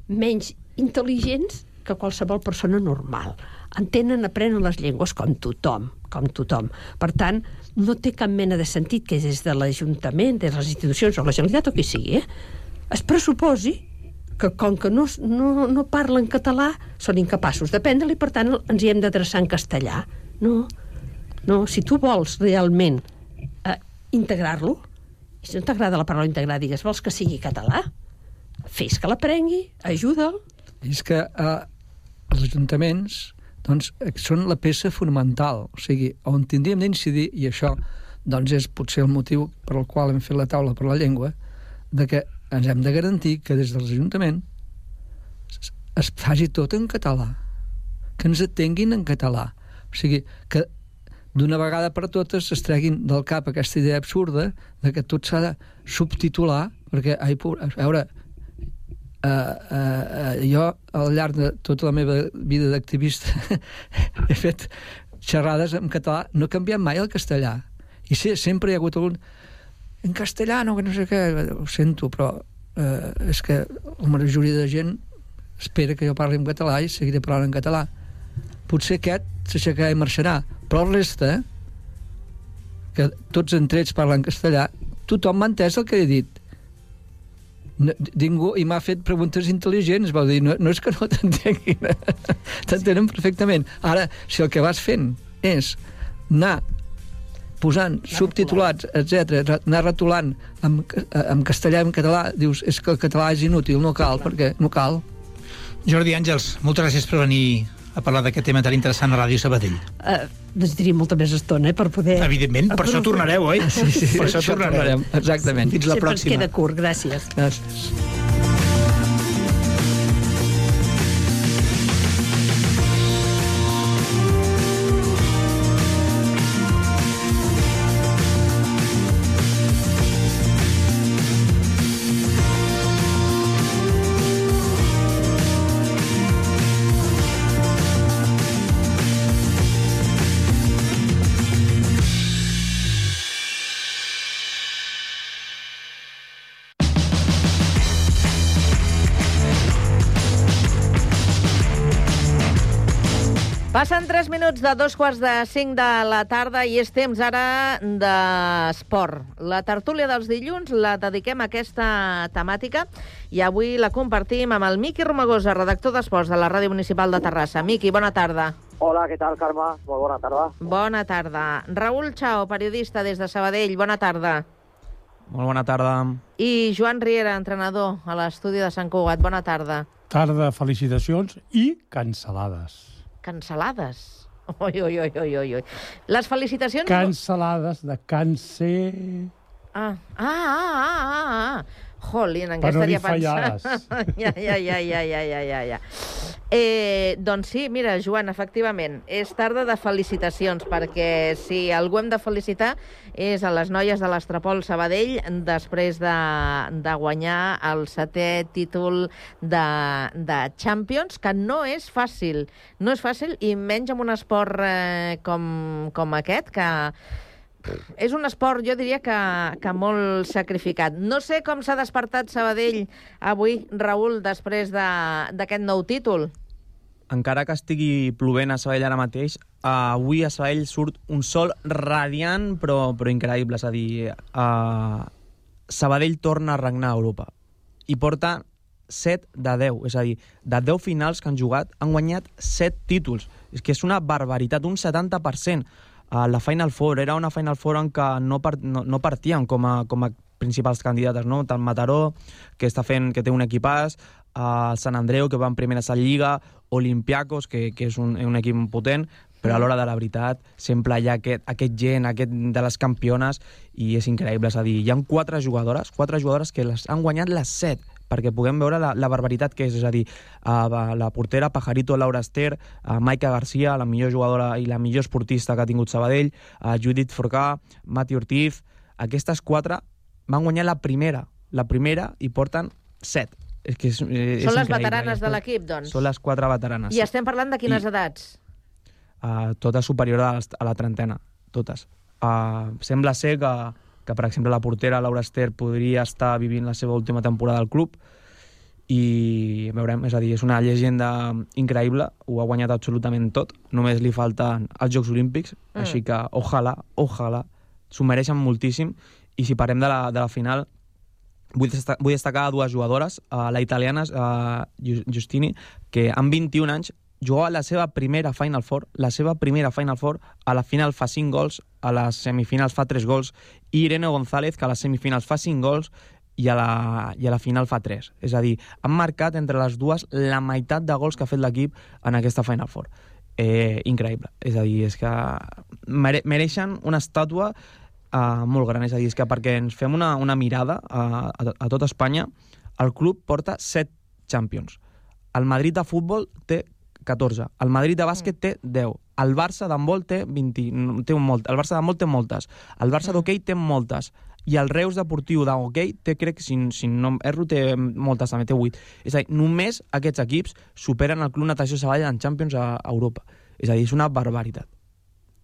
menys intel·ligents que qualsevol persona normal. Entenen, aprenen les llengües com tothom, com tothom. Per tant, no té cap mena de sentit que des de l'Ajuntament, des de les institucions o la Generalitat o qui sigui, eh, es pressuposi que com que no, no, no parlen català són incapaços d'aprendre-li i per tant ens hi hem d'adreçar en castellà. No, no, si tu vols realment eh, integrar-lo, i si no t'agrada la paraula integrar, digues, vols que sigui català? Fes que l'aprengui, ajuda'l. I és que eh, els ajuntaments doncs, són la peça fonamental, o sigui, on tindríem d'incidir, i això doncs, és potser el motiu per al qual hem fet la taula per la llengua, de que ens hem de garantir que des dels ajuntaments es faci tot en català, que ens atenguin en català. O sigui, que d'una vegada per totes es treguin del cap aquesta idea absurda de que tot s'ha de subtitular, perquè, ai, a veure, Uh, uh, uh, jo al llarg de tota la meva vida d'activista he fet xerrades en català, no he canviat mai el castellà i sí, sempre hi ha hagut algun en castellà, no, que no sé què, ho sento, però uh, és que la majoria de gent espera que jo parli en català i seguiré parlant en català. Potser aquest s'aixecarà i marxarà, però el resta, que tots entre ells parlen castellà, tothom m'ha entès el que he dit. No, ningú, i m'ha fet preguntes intel·ligents, vau dir, no, no és que no t'entenguin, t'entenen perfectament. Ara, si el que vas fent és anar posant subtitulats, etcètera, anar retolant en, en castellà i en català, dius, és que el català és inútil, no cal, perquè no cal. Jordi Àngels, moltes gràcies per venir a parlar d'aquest tema tan interessant a Ràdio Sabadell. Uh, necessitaria molta més estona, eh, per poder... Evidentment, per això tornareu, oi? Sí, sí, per això tornarem. Exactament. Fins la Sempre pròxima. ens queda curt, gràcies. Gràcies. Passen tres minuts de dos quarts de cinc de la tarda i és temps ara d'esport. La tertúlia dels dilluns la dediquem a aquesta temàtica i avui la compartim amb el Miqui Romagosa, redactor d'esports de la Ràdio Municipal de Terrassa. Miqui, bona tarda. Hola, què tal, Carme? Molt bona tarda. Bona tarda. Raül Chao, periodista des de Sabadell. Bona tarda. Molt bona tarda. I Joan Riera, entrenador a l'estudi de Sant Cugat. Bona tarda. Tarda, felicitacions i cancel·lades. Cancel·lades. Ui, ui, ui, ui, ui. Les felicitacions... Cancel·lades de càncer... Ah, ah, ah, ah, ah. Jolín, en què per no estaria dir fallades. ja, ja, ja, ja, ja, ja, ja, ja. Eh, doncs sí, mira, Joan, efectivament, és tarda de felicitacions, perquè si algú hem de felicitar és a les noies de l'Estrapol Sabadell després de, de guanyar el setè títol de, de Champions, que no és fàcil, no és fàcil, i menys amb un esport eh, com, com aquest, que és un esport, jo diria, que, que molt sacrificat. No sé com s'ha despertat Sabadell avui, Raül, després d'aquest nou títol. Encara que estigui plovent a Sabadell ara mateix, avui a Sabadell surt un sol radiant, però, però increïble. És a dir, uh, Sabadell torna a regnar a Europa. I porta set de deu. És a dir, de deu finals que han jugat, han guanyat set títols. És que és una barbaritat, un setanta per cent. Uh, la Final Four era una Final Four en què no, part, no, no partíem com a, com a principals candidates, no? Tant Mataró, que està fent, que té un equipàs, el Sant Andreu, que va en primera Lliga, Olympiacos, que, que és un, un equip potent, però a l'hora de la veritat sempre hi ha aquest, aquest gent, aquest de les campiones, i és increïble. És a dir, hi ha quatre jugadores, quatre jugadores que les han guanyat les set, perquè puguem veure la, la barbaritat que és. És a dir, uh, la portera Pajarito Laura Ester, uh, Maika Garcia, la millor jugadora i la millor esportista que ha tingut Sabadell, uh, Judith Forcà, Mati Ortiz. Aquestes quatre van guanyar la primera, la primera i porten set. És que és, és Són les increïble. veteranes de l'equip, doncs. Són les quatre veteranes. I estem parlant de quines I... edats? Uh, totes superior a, a la trentena, totes. Uh, sembla ser que, que, per exemple, la portera Laura Ester podria estar vivint la seva última temporada al club i veurem, és a dir, és una llegenda increïble, ho ha guanyat absolutament tot, només li falten els Jocs Olímpics, mm. així que ojalà, ojalà, s'ho mereixen moltíssim, i si parlem de la, de la final, vull destacar, vull destacar dues jugadores, uh, la italiana uh, Giustini, que amb vint-i-un anys jugava la seva primera Final Four, la seva primera Final Four, a la final fa cinc gols, a les semifinals fa tres gols, i Irene González, que a les semifinals fa cinc gols, i a la, i a la final fa tres. És a dir, han marcat entre les dues la meitat de gols que ha fet l'equip en aquesta Final Four. Eh, increïble. És a dir, és que mere, mereixen una estàtua uh, molt gran. És a dir, és que perquè ens fem una, una mirada a, a, a tot Espanya, el club porta set Champions. El Madrid de futbol té catorze. El Madrid de bàsquet té deu. El Barça d'handbol té vint. Té un molt. El Barça d'handbol té moltes. El Barça d'hoquei té moltes. I el Reus Deportiu d'hoquei té, crec, si, si no erro, té moltes, també té vuit. És a dir, només aquests equips superen el Club Natació Sabadell en Champions a Europa. És a dir, és una barbaritat.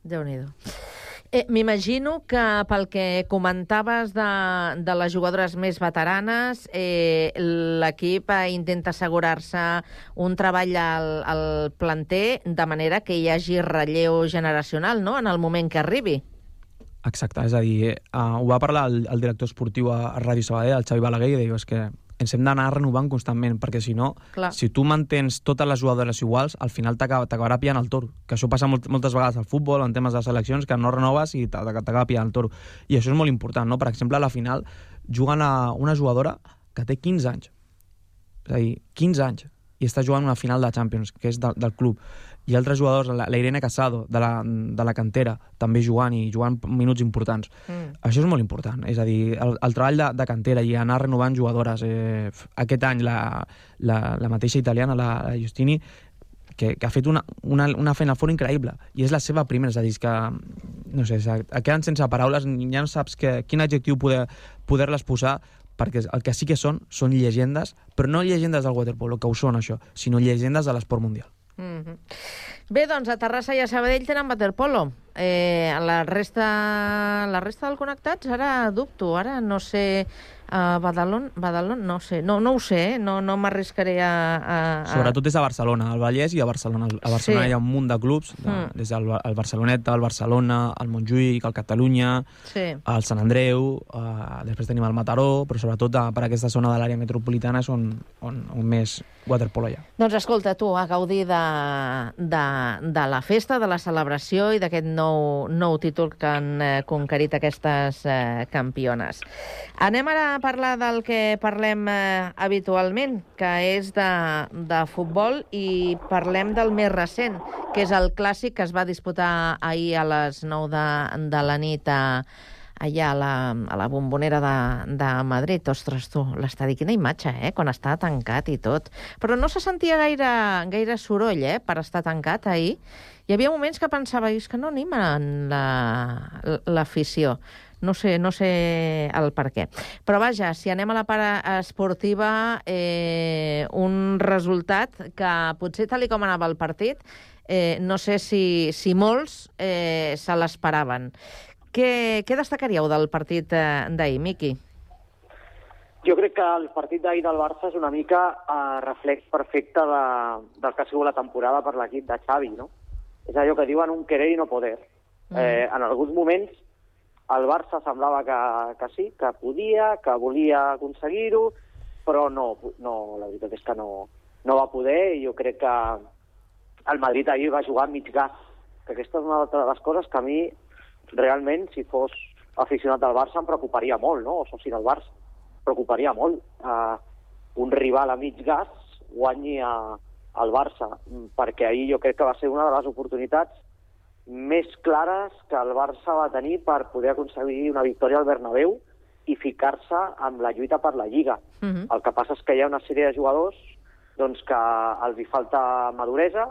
Déu-n'hi-do. Eh, M'imagino que pel que comentaves de, de les jugadores més veteranes, eh, l'equip intenta assegurar-se un treball al, al planter de manera que hi hagi relleu generacional, no?, en el moment que arribi. Exacte, és a dir, uh, ho va parlar el, el director esportiu a, a Ràdio Sabadell, el Xavi Balaguer, i diu, és que ens hem d'anar renovant constantment, perquè si no, Clar. si tu mantens totes les jugadores iguals, al final t'acabarà pillant el toro. Que això passa molt, moltes vegades al futbol, en temes de seleccions, que no renoves i t'acaba pillant el toro. I això és molt important, no? Per exemple, a la final juguen a una jugadora que té quinze anys. És a dir, quinze anys. I està jugant una final de Champions, que és de, del club. I altres jugadors, la, la Irene Casado, de la, de la cantera, també jugant i jugant minuts importants. Mm. Això és molt important. És a dir, el, el treball de, de cantera i anar renovant jugadores. Eh, aquest any la, la, la mateixa italiana, la, la Giustini, que, que ha fet una, una, una feina fora increïble. I és la seva primera, és a dir, que, no sé, queden sense paraules, ja no saps que, quin adjectiu poder, poder-les posar, perquè el que sí que són, són llegendes, però no llegendes del waterpolo, que ho són això, sinó llegendes de l'esport mundial. Mm-hmm. Bé, doncs a Terrassa i a Sabadell tenen waterpolo. Eh, la resta la resta del Connectats, ara dubto, ara no sé... A Badalona, Badalona, no sé, no, no ho sé, eh? no, no m'arriscaré a, a, a... Sobretot és a Barcelona, al Vallès i a Barcelona. A Barcelona sí. Hi ha un munt de clubs, de, mm. des del el Barceloneta, el Barcelona, el Montjuïc, el Catalunya, sí. el Sant Andreu, uh, després tenim el Mataró, però sobretot uh, per aquesta zona de l'àrea metropolitana és on, on, on més waterpolo hi ha. Doncs escolta, tu, a gaudir de, de, de la festa, de la celebració i d'aquest nou, nou títol que han eh, conquerit aquestes eh, campiones. Anem ara a parlar del que parlem eh, habitualment, que és de, de futbol, i parlem del més recent, que és el clàssic que es va disputar ahir a les nou de, de la nit a, allà a la, a la Bombonera de, de Madrid. Ostres, tu, l'estadi, quina imatge, eh?, quan està tancat i tot. Però no se sentia gaire, gaire soroll, eh?, per estar tancat ahir. Hi havia moments que pensava, és que no animen l'afició. La, No sé, no sé el per què. Però vaja, si anem a la part esportiva, eh, un resultat que potser tal com anava el partit, eh, no sé si, si molts eh, se l'esperaven. Què, què destacaríeu del partit eh, d'ahir, Miqui? Jo crec que el partit d'ahir del Barça és una mica eh, reflex perfecte de, del que ha sigut la temporada per l'equip de Xavi, no? És allò que diuen un querer i no poder. Mm. Eh, en alguns moments el Barça semblava que, que sí, que podia, que volia aconseguir-ho, però no, no, la veritat és que no, no va poder, i jo crec que el Madrid ahir va jugar mig gas, que aquesta és una de les coses que a mi, realment, si fos aficionat del Barça em preocuparia molt, no? O soci del Barça. Preocuparia molt. Uh, un rival a mig gas guanyi a, al Barça, perquè ahir jo crec que va ser una de les oportunitats més clares que el Barça va tenir per poder aconseguir una victòria al Bernabéu i ficar-se amb la lluita per la Lliga. Mhm. El que passa és que hi ha una sèrie de jugadors doncs, que els hi falta maduresa,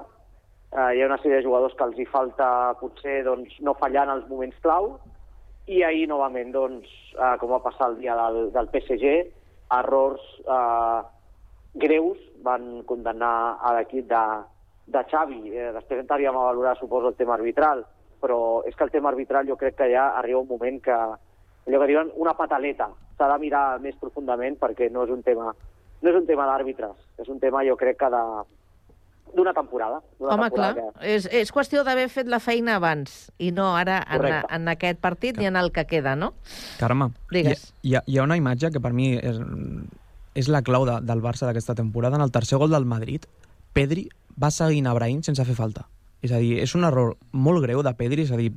eh, hi ha una sèrie de jugadors que els hi falta potser doncs, no fallar en els moments clau, i ahir novament, doncs, eh, com va passar el dia del, del P S G, errors eh, greus van condemnar a l'equip de, de Xavi. Eh, després entraríem a valorar, suposo, el tema arbitral, però és que el tema arbitral jo crec que ja arriba un moment que allò que diuen una pataleta. S'ha de mirar més profundament perquè no és un tema, no és un tema d'àrbitres, és un tema jo crec que de, d'una temporada. D'una Home, temporada clar, que... és, és qüestió d'haver fet la feina abans i no ara en, Correcte. en aquest partit ni en el que queda, no? Carme, Digues. hi, ha, hi ha una imatge que per mi és, és la clau de, del Barça d'aquesta temporada. En el tercer gol del Madrid, Pedri va seguint a Brahim sense fer falta. És a dir, és un error molt greu de Pedri, és a dir,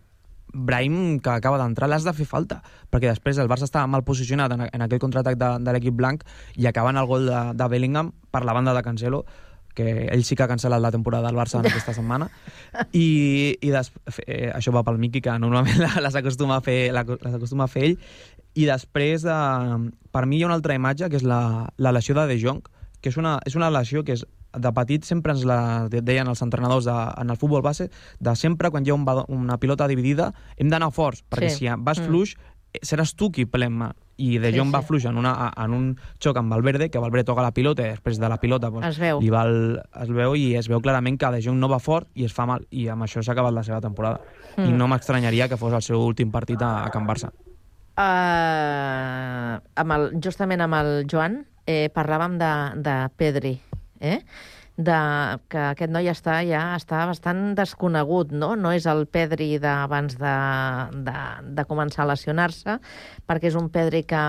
Brahim, que acaba d'entrar, l'has de fer falta, perquè després el Barça estava mal posicionat en, en aquell contraatac de, de l'equip blanc i acabant el gol de, de Bellingham per la banda de Cancelo, que ell sí que ha cancel·lat la temporada del Barça en aquesta setmana, i, i des, eh, això va pel Miqui, que normalment les acostuma a fer, les acostuma a fer ell, i després, eh, per mi hi ha una altra imatge, que és la, la lesió de De Jong, que és una, és una lesió que és, de petit sempre ens la deien els entrenadors de, en el futbol base, de sempre quan hi ha un, una pilota dividida hem d'anar forts, perquè Sí. si vas Mm. fluix seràs tu qui plemma, i De Sí, Jong va sí. fluix en, una, en un xoc amb Valverde, que Valverde toca la pilota i després de la pilota pues, Es veu. li va el, es veu i es veu clarament que De Jong no va fort i es fa mal, i amb això s'ha acabat la seva temporada. Mm. I no m'estranyaria que fos el seu últim partit a, a Can Barça. Uh, amb el, justament amb el Joan eh, parlàvem de, de Pedri, eh? de, que aquest noi està ja està bastant desconegut, no? No és el Pedri d'abans de, de, de començar a lesionar-se, perquè és un Pedri que,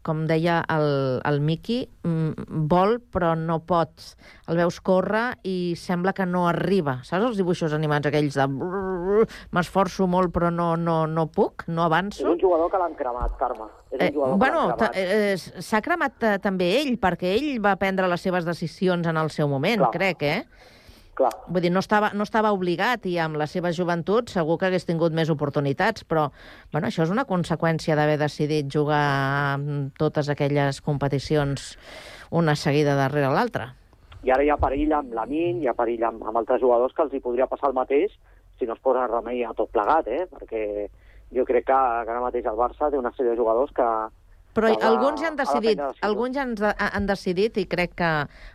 com deia el, el Miqui, mm, vol però no pot. El veus córrer i sembla que no arriba. Saps els dibuixos animats aquells de brrr, m'esforço molt però no, no, no puc, no És avanço? un jugador que l'han cremat, Carme. És un Eh, jugador bueno, que l'han ta- cremat. eh, s'ha cremat eh, també ell, perquè ell va prendre les seves decisions en el seu moment, Clar. crec, eh? Clar. Vull dir, no estava, no estava obligat i amb la seva joventut segur que hagués tingut més oportunitats, però bueno, això és una conseqüència d'haver decidit jugar en totes aquelles competicions una seguida darrere l'altra. I ara hi ha perill amb Lamine, hi ha perill amb, amb altres jugadors que els hi podria passar el mateix si no es posa remei a tot plegat, eh? Perquè jo crec que, que ara mateix el Barça té una sèrie de jugadors que... Però que ha de- alguns ja han ha de decidit, prendre decisions. alguns ja han, de- han decidit i crec que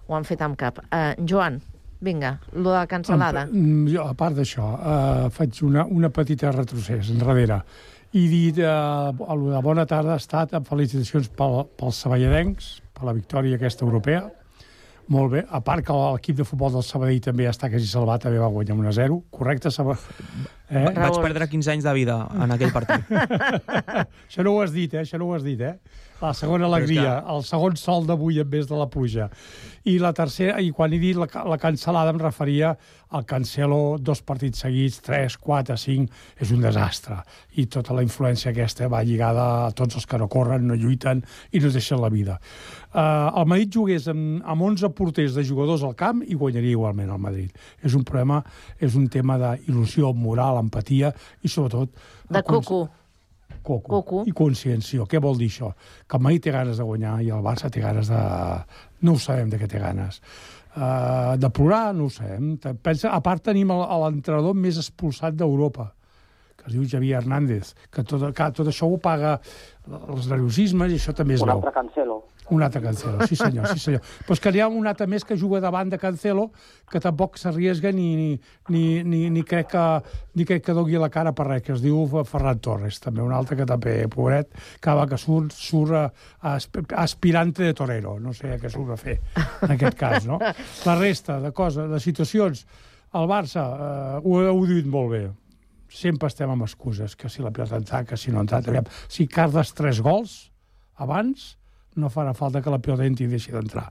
ho han fet amb cap. Uh, Joan, vinga, lo de la cancel·lada. Mm, Jo, a part d'això, eh, faig una, una petita retrocés enrere i dir eh, la bona tarda ha estat amb felicitacions pel, pels saballadencs, per la victòria aquesta europea. Molt bé, a part que l'equip de futbol del Sabadell també està quasi salvat, també va guanyar un a zero, correcte? Saba... Eh? Va- Vaig perdre quinze anys de vida en aquell partit. Això no ho has dit, eh? Això no ho has dit, eh? La segona Però és alegria, que- el segon sol d'avui en vez de la pluja. I la tercera, i quan he dit la, ca- la cancel·lada em referia al Cancelo, dos partits seguits, tres, quatre, cinc, és un desastre. I tota la influència aquesta va lligada a tots els que no corren, no lluiten i no es deixen la vida. Uh, el Madrid jugués amb, amb onze porters de jugadors al camp i guanyaria igualment el Madrid. És un problema, és un tema d'il·lusió, moral, empatia i sobretot... De coco. Coco. Coco. I consciència. Què vol dir això? Que el Madrid té ganes de guanyar i el Barça té ganes de... No ho sabem de què té ganes. Uh, de plorar, no ho sabem. Pensa, a part tenim el- l'entrenador més expulsat d'Europa, que es diu Javier Hernández, que tot, que tot això ho paga els nerviosismes i això també es Un veu. altre Cancelo. Un altre Cancelo, sí senyor, sí senyor. Però és que n'hi ha un altre més que juga davant de Cancelo que tampoc s'arriesga ni, ni, ni, ni, ni, crec que, ni crec que doni la cara per res, que es diu Ferran Torres, també un altre que també, pobret, que va que surt, surt a, a aspirante de torero, no sé què surt a fer en aquest cas, no? La resta de coses, de situacions, el Barça, eh, ho heu dit molt bé, sempre estem amb excuses, que si la pilota ha entrat, que si no ha entrat, aviam. Si cardes tres gols abans, no farà falta que la pilota entri i deixi d'entrar.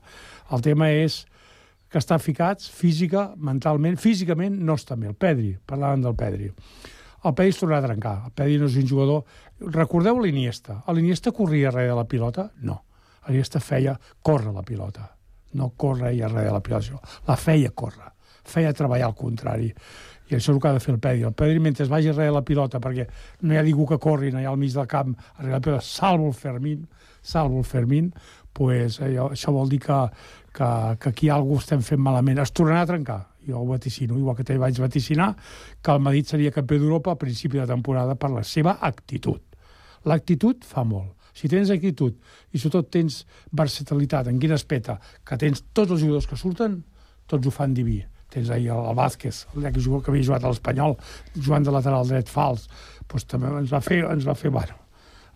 El tema és que estan ficats física, mentalment, físicament no està bé. El Pedri, parlàvem del Pedri. el Pedri es tornarà a trencar. El Pedri no és un jugador... Recordeu l'Iniesta. L'Iniesta corria darrere de la pilota? No. L'Iniesta feia córrer la pilota. No corre i darrere de la pilota. La feia córrer. Feia treballar al contrari. I això és el que ha de fer el Pedri. El Pedri, mentre vagi darrere de la pilota, perquè no hi ha ningú que corri, no hi ha al mig del camp, darrere la pilota, salvo el Fermín, salvo el Fermín, pues, allò, això vol dir que, que, que aquí alguna estem fent malament. Es tornarà a trencar. Jo ho vaticino, igual que també vaig vaticinar, que el Madrid seria campió d'Europa a principi de temporada per la seva actitud. L'actitud fa molt. Si tens actitud i sobretot tens versatilitat, en quin aspecte, que tens tots els jugadors que surten, tots ho fan diví. Tens ahir el Vázquez, el que, que havia jugat a l'Espanyol, jugant de lateral dret fals, doncs també ens va fer, ens va fer, bueno,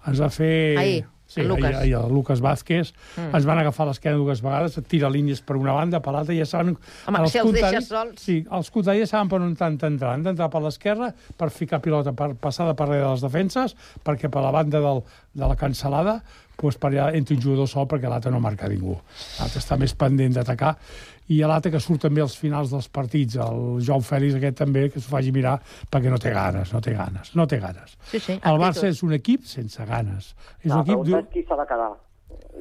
ens va fer... Ahir, sí, el Lucas. Ahir, ahir, el Lucas Vázquez, Mm. ens van agafar l'esquena dues vegades, tira línies per una banda, per l'altra, i ja saben... Home, si els contraris- deixes sols... Sí, els contraris saben per on han d'entrar. Han d'entrar per l'esquerra, per ficar pilota, per passada per darrere de les defenses, perquè per la banda del, de la cancel·lada, doncs per allà entra un jugador sol perquè l'altre no marca ningú. L'altre està més pendent d'atacar. I l'altre que surt també als finals dels partits, el Joao Fèlix aquest també, que s'ho faci mirar, perquè no té ganes, no té ganes, no té ganes. Sí, sí, el Barça és un equip sense ganes. És La un equip... pregunta és qui s'ha de quedar.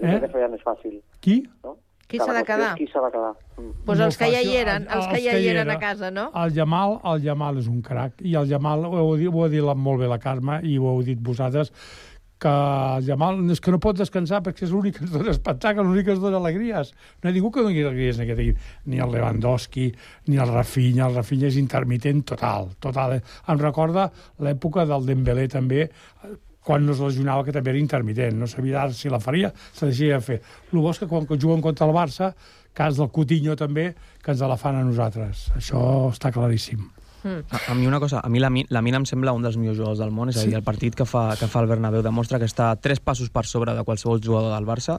Eh? És que més fàcil. Qui? No? Qui s'ha de quedar? Qui s'ha de quedar? Mm. Pues Molt els que ja hi fàcil. eren, els que ja hi eren a casa, no? El Jamal, el Jamal és un crac, i el Jamal, ho heu dit, ho ha dit molt bé la Carme, i ho heu dit vosaltres, que el Jamal és que no pot descansar perquè és l'únic que ens dona espectacle, l'únic que ens dona alegries. No hi ha ningú que doni alegries en aquest equip. Ni el Lewandowski, ni el Rafinha. El Rafinha és intermitent total. total. Em recorda l'època del Dembélé també, quan no es lesionava, que també era intermitent. No sabia si la faria, se deixaria de fer. El bo és que quan juguen contra el Barça, cas del Coutinho també, que ens la fan a nosaltres. Això està claríssim. Mm. A, a mi una cosa, a mi la, la Mina em sembla un dels millors jugadors del món, és a dir, el partit que fa, que fa el Bernabéu demostra que està tres passos per sobre de qualsevol jugador del Barça,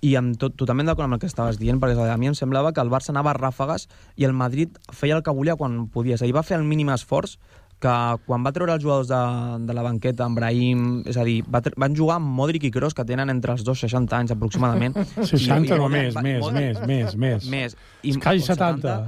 i amb tot, totalment d'acord amb el que estaves dient, perquè a mi em semblava que el Barça anava a ràfegues i el Madrid feia el que volia quan podia, és a dir, va fer el mínim esforç que quan va treure els jugadors de, de la banqueta, en Brahim, és a dir, va, van jugar amb Modric i Kroos, que tenen entre els dos seixanta anys aproximadament. seixanta I, no, i, més, va, més, més, més, més. Més. I, Quasi setanta.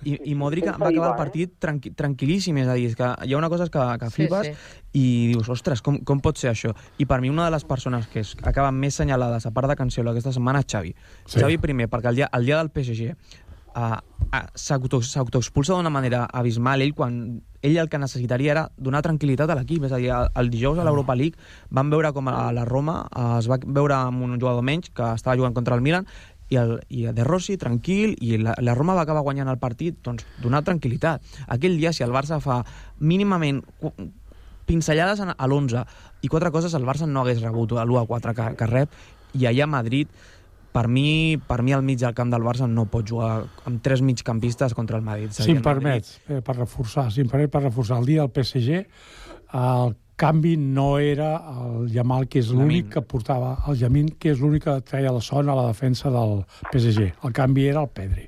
I, i Modric va acabar el partit tranqui, tranquil·líssim, és a dir, és que hi ha una cosa que, que flipes, sí, sí. I dius, ostres, com, com pot ser això? I per mi una de les persones que es, acaben més senyalades, a part de Cancelo, aquesta setmana, és Xavi. Sí. Xavi primer, perquè el dia, el dia del P S G uh, uh, s'autoexpulsa d'una manera abismal. Ell, quan ell el que necessitaria era donar tranquil·litat a l'equip, és a dir, el, el dijous a l'Europa League van veure com a la Roma uh, es va veure amb un jugador menys que estava jugant contra el Milan, i, el, i De Rossi tranquil, i la, la Roma va acabar guanyant el partit, doncs donar tranquil·litat. Aquell dia, si el Barça fa mínimament pinzellades a l'onze i quatre coses, el Barça no hagués rebut l'u a quatre que, que rep, i allà a Madrid, per mi, per mi al mig del camp del Barça no pot jugar amb tres migcampistes contra el Madrid. Si em permets, eh, per reforçar, si em permet per reforçar, el dia del P S G, el canvi no era el Yamal, que és l'únic que portava, el Yamin, que és l'únic que treia la son a la defensa del P S G. El canvi era el Pedri.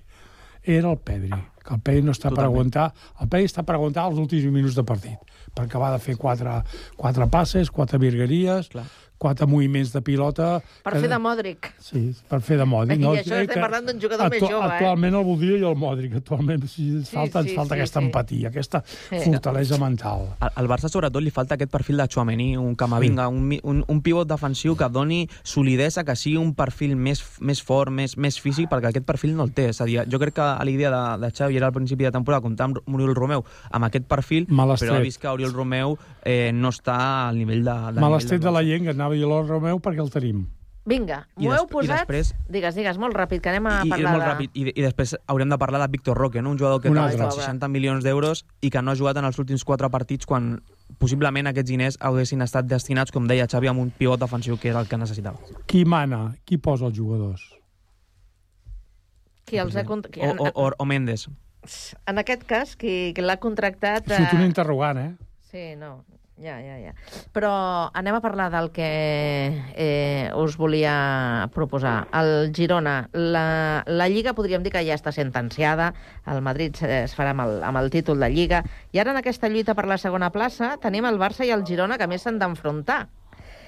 Era el Pedri. Que el Pedri no està per aguantar... El Pedri està per aguantar els últims minuts de partit, perquè va de fer quatre, quatre passes, quatre virgueries, Clar. quatre moviments de pilota... Per que... fer de Modric. Sí, per fer de Modric. I no, això estem parlant d'un jugador més jove, eh? Actualment el voldria jo el Modric, actualment. Si sí, falta, sí, ens falta sí, aquesta sí. empatia, aquesta Sí. fortalesa mental. Al, al Barça, sobretot, li falta aquest perfil de Tchouaméni, un Camavinga, sí. un, un, un pivot defensiu que doni solidesa, que sigui un perfil més, més fort, més, més físic, perquè aquest perfil no el té. És a dir, jo crec que l'idea de, de Xavi era al principi de temporada comptar amb Oriol Romeu amb aquest perfil, però ha vist que Oriol Romeu eh, no està al nivell de... de Mal estret de la llengua, anava a dir l'Oriol Romeu perquè el tenim. Vinga, m'ho heu posat... Després... Digues, digues, molt ràpid, que anem a I, parlar molt de... ràpid. I, I després haurem de parlar de Víctor Roque, no? Un jugador que ha gastat seixanta milions d'euros i que no ha jugat en els últims quatre partits quan possiblement aquests diners haguessin estat destinats, com deia Xavi, amb un pivot defensiu que era el que necessitava. Qui mana? Qui posa els jugadors? Qui els ha... Cont... O, o, o, o Mendes. En aquest cas, qui, qui l'ha contractat... Surt un interrogant, eh? Sí, no, ja, ja, ja. Però anem a parlar del que eh, us volia proposar. El Girona, la, la Lliga podríem dir que ja està sentenciada, el Madrid es farà amb el, amb el títol de Lliga, i ara en aquesta lluita per la segona plaça tenim el Barça i el Girona que més s'han d'enfrontar.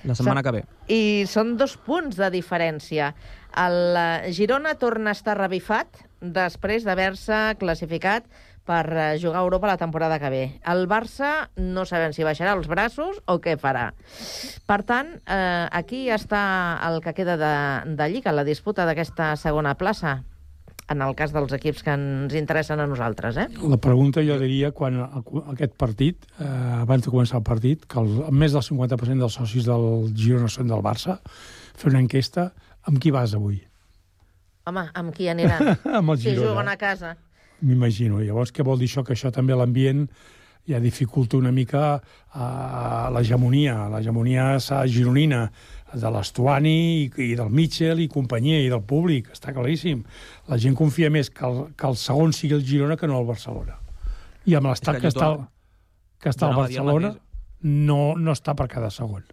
La setmana que ve. I són dos punts de diferència. El Girona torna a estar revifat després d'haver-se classificat per jugar a Europa la temporada que ve. El Barça no sabem si baixarà els braços o què farà. Per tant, eh, aquí està el que queda de, de Lliga, la disputa d'aquesta segona plaça, en el cas dels equips que ens interessen a nosaltres, eh? La pregunta jo diria, quan aquest partit, eh, abans de començar el partit, que el, més del cinquanta per cent dels socis del Girona són del Barça, fer una enquesta, amb qui vas avui? Home, amb qui aniran? Amb el si Girona. juguen a casa. M'imagino. Llavors, què vol dir això? Que això també l'ambient ja dificulta una mica uh, l'hegemonia, l'hegemonia gironina de l'Estuani i, i del Mitchell i companyia i del públic, està claríssim. La gent confia més que el, que el segon sigui el Girona que no el Barcelona. I amb l'estat que, que està, que està al Barcelona no, no està per cada segon.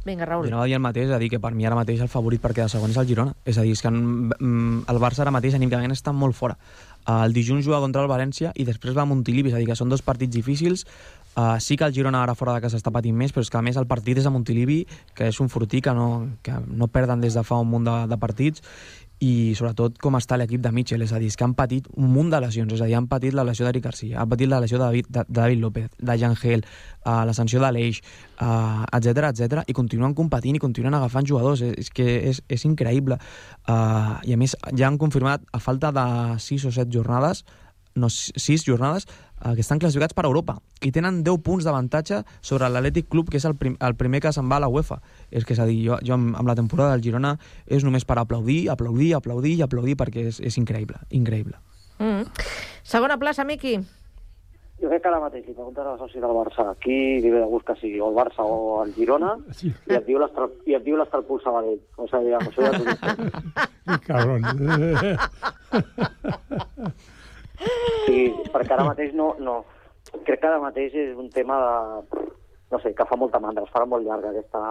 Vinga, Raül. Jo anava a dir el mateix, a dir que per mi ara mateix el favorit per quedar segon és el Girona. És a dir, és que el Barça ara mateix anímicament està molt fora. El dilluns juga contra el València i després va a Montilivi, és a dir, que són dos partits difícils. Uh, sí que el Girona ara fora de casa està patint més, però és que a més el partit és a Montilivi, que és un fortí que no, que no perden des de fa un munt de, de partits, i sobretot com està l'equip de Mitchell, és a dir, és que han patit un munt de lesions, és a dir, han patit la lesió d'Eric Garcia, han patit la lesió de David, de, de David López, de Yangel, uh, la sanció de l'Eix, uh, etcètera, etcètera, i continuen competint i continuen agafant jugadors, és, és que és, és increïble. Uh, I a més, ja han confirmat, a falta de sis o set jornades, no, sis jornades, eh, que estan classificats per Europa i tenen deu punts d'avantatge sobre l'Atlètic Club, que és el, prim, el primer que se'n va a la UEFA. És que és a dir, jo, jo amb, amb la temporada del Girona és només per aplaudir, aplaudir, aplaudir i aplaudir, perquè és, és increïble, increïble. Mm. Segona plaça, Miqui. Jo crec que ara mateix, si preguntes al soci del Barça, aquí li ve de gust que sigui o el Barça o el Girona, sí. i et diu l'Estarpol Sabadell. O sigui, amb això ja t'ho dic. Cabron. Sí, perquè ara mateix no, no... Crec que ara mateix és un tema de... No sé, que fa molta mandra, es farà molt llarga aquesta...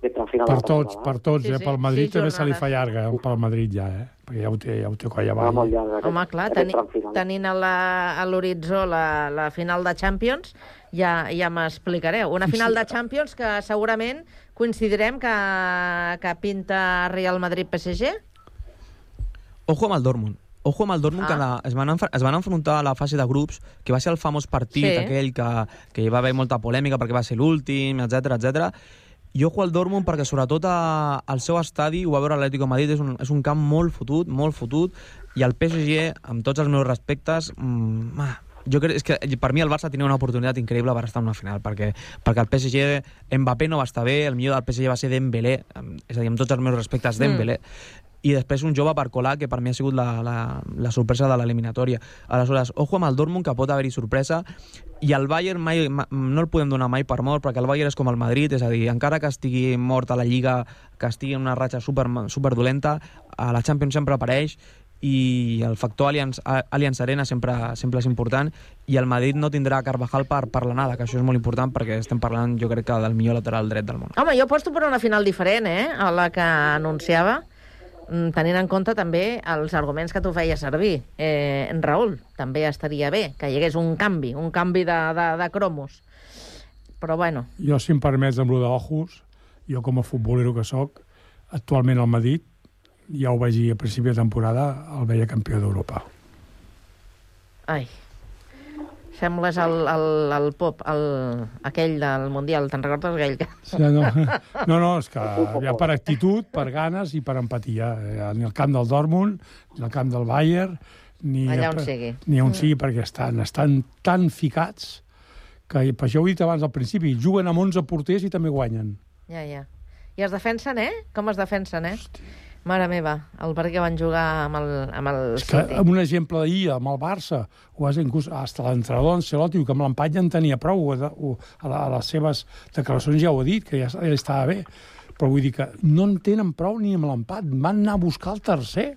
aquesta final per tots, per tots, sí, eh? sí, Pel Madrid sí, també se li fa llarga, eh? Pel Madrid ja, eh? Perquè ja ho té, ja ho té colla avall. molt llarga. Home, clar, teni, tenint a la, a l'horitzó la, la final de Champions, ja, ja m'explicareu. Una final de Champions que segurament coincidirem que, que pinta Real Madrid-P S G? Ojo amb el Dortmund. Ojo amb el Dortmund, ah. que la, es, van es van enfrontar a la fase de grups, que va ser el famós partit sí. aquell que, que hi va haver molta polèmica perquè va ser l'últim, etcètera, etcètera. I ojo al Dortmund perquè sobretot a, al seu estadi, ho va veure l'Atlético de Madrid, és un, és un camp molt fotut, molt fotut, i el P S G, amb tots els meus respectes, mmm, jo crec és que per mi el Barça tenia una oportunitat increïble per estar en una final, perquè, perquè el P S G, Mbappé no va estar bé, el millor del P S G va ser Dembélé, és a dir, amb tots els meus respectes, Dembélé, mm. i després un jove per colar, que per mi ha sigut la, la, la sorpresa de l'eliminatòria. Aleshores, ojo amb el Dortmund, que pot haver-hi sorpresa, i el Bayern mai, ma, no el podem donar mai per mort, perquè el Bayern és com el Madrid, és a dir, encara que estigui mort a la Lliga, que estigui en una ratxa super, super dolenta, a la Champions sempre apareix, i el factor Allianz, Allianz Arena sempre, sempre és important, i el Madrid no tindrà Carvajal per, per l'anada, que això és molt important, perquè estem parlant, jo crec que del millor lateral dret del món. Home, jo aposto per una final diferent, eh?, a la que anunciava, tenint en compte també els arguments que tu feies servir. Eh, Raül, també estaria bé que hi hagués un canvi, un canvi de, de, de cromos. Però bueno. Jo, si em permets, amb lo d'Ojos, jo com a futbolero que sóc, actualment al Madrid, ja ho vaig dir a principi de temporada, el veia campió d'Europa. Ai, sembles el, el, el pop, el, aquell del Mundial, te'n recordes aquell? Que... Sí, no, no, no, és que ja per actitud, per ganes i per empatia. Ni el camp del Dortmund, ni el camp del Bayern, ni allà on sigui. Ni on sigui, perquè estan, estan tan ficats que, per això ho he dit abans al principi, juguen amb onze porters i també guanyen. Ja, ja. I es defensen, eh? Com es defensen, eh? Hosti. Mare meva, el partit que van jugar amb el, amb el és que, City. Un exemple d'ahir, amb el Barça, o és inclús hasta l'entrenador Ancelotti, que amb l'empat ja en tenia prou, o, o, a, la, a les seves declaracions ja ho ha dit, que ja, ja estava bé, però vull dir que no en tenen prou ni amb l'empat, van anar a buscar el tercer,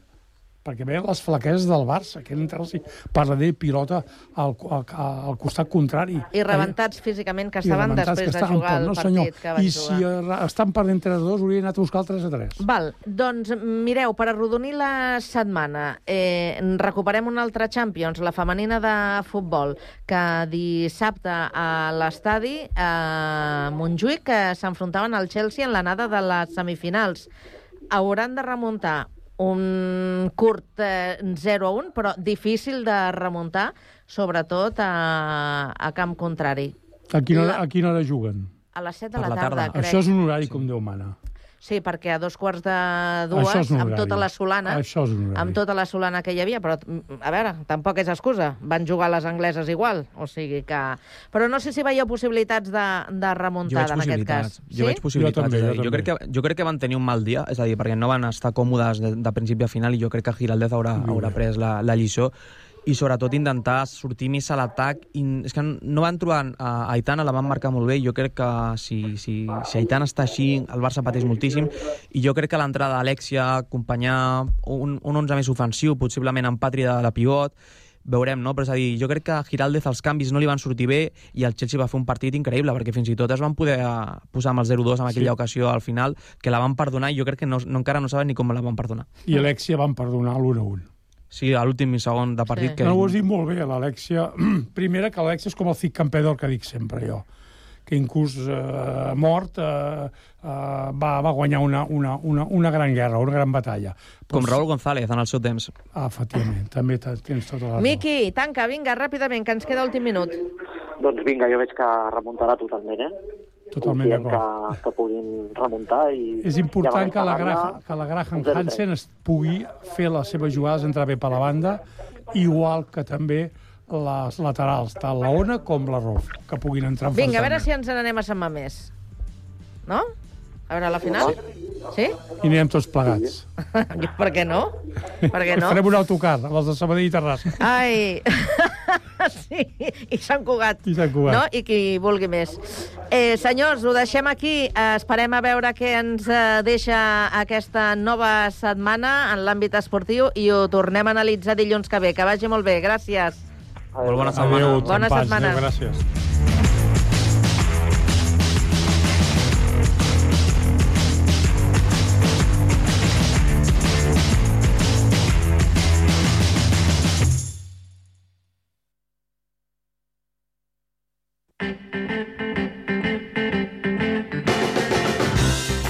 perquè veien les flaqueses del Barça, que eren entrar-los per la pilota al, al, al costat contrari. I rebentats físicament que estaven després de jugar el no, partit senyor. que van I jugar. I si estan perdent tres a dos, haurien anat a buscar el tres a tres. Val, doncs mireu, per arrodonir la setmana, eh, recuperem una altra Champions, la femenina de futbol, que dissabte a l'estadi a Montjuïc, que s'enfrontaven al Chelsea en l'anada de les semifinals. Hauran de remuntar un curt eh, zero a un, però difícil de remuntar, sobretot a, a camp contrari. A quina hora, a quina hora juguen? A les set de la, la tarda, crec. Això és un horari com Déu mana. Sí, perquè a dos quarts de dues, amb tota la solana, amb tota la solana que hi havia, però, a veure, tampoc és excusa. Van jugar les angleses igual, o sigui que... Però no sé si veieu possibilitats de, de remuntada en aquest cas. Jo sí? veig possibilitats. Jo, també, jo, jo, crec que, jo crec que van tenir un mal dia, és a dir, perquè no van estar còmodes de, de principi a final, i jo crec que Giraldez haurà, haurà pres la, la lliçó, i sobretot intentar sortir més a l'atac. És que no van trobar a Aitana, la van marcar molt bé, jo crec que si, si, si Aitana està així, el Barça pateix moltíssim, i jo crec que l'entrada d'Alexia, acompanyar un, un onze més ofensiu, possiblement amb Patri de la pivot, veurem, no? Però és a dir, jo crec que a Giraldez els canvis no li van sortir bé i el Chelsea va fer un partit increïble, perquè fins i tot es van poder posar amb el zero dos en aquella sí. ocasió al final, que la van perdonar, i jo crec que no, no, encara no saben ni com la van perdonar. I Alexia van perdonar l'un a un. Sí, a l'últim segon de partit. Sí. Que... No, ho has dit molt bé, l'Alexia. Primera, que l'Alexia és com el Cic Campedor, que dic sempre jo, que inclús eh, mort eh, eh, va, va guanyar una, una, una, una gran guerra, una gran batalla. Com Raúl González en el seu temps. Ah, efectivament, també tens tota la raó. Miqui, tanca, vinga, ràpidament, que ens queda l'últim minut. Doncs vinga, jo veig que remuntarà totalment, eh? Totalment d'acord. Que, que puguin remuntar. I és important que la, Graham, que la Graham Hansen es pugui fer les seves jugades, entrar bé per la banda, igual que també les laterals, tant la Ona com la Rolf, que puguin entrar en Vinga, a veure si ens n'anem a Sant Mamés. No? A veure, a la final? Sí? I anirem tots plegats. Per què no? Per què no? Farem un autocar, els de Sabadell i Terrassa. Ai... Sí, i Sant Cugat. I Sant Cugat. No? I qui vulgui més. Eh, senyors, ho deixem aquí. Eh, esperem a veure què ens eh, deixa aquesta nova setmana en l'àmbit esportiu i ho tornem a analitzar dilluns que ve. Que vagi molt bé. Gràcies. Molt bona setmana. Adéu, bona setmana. Adéu, gràcies.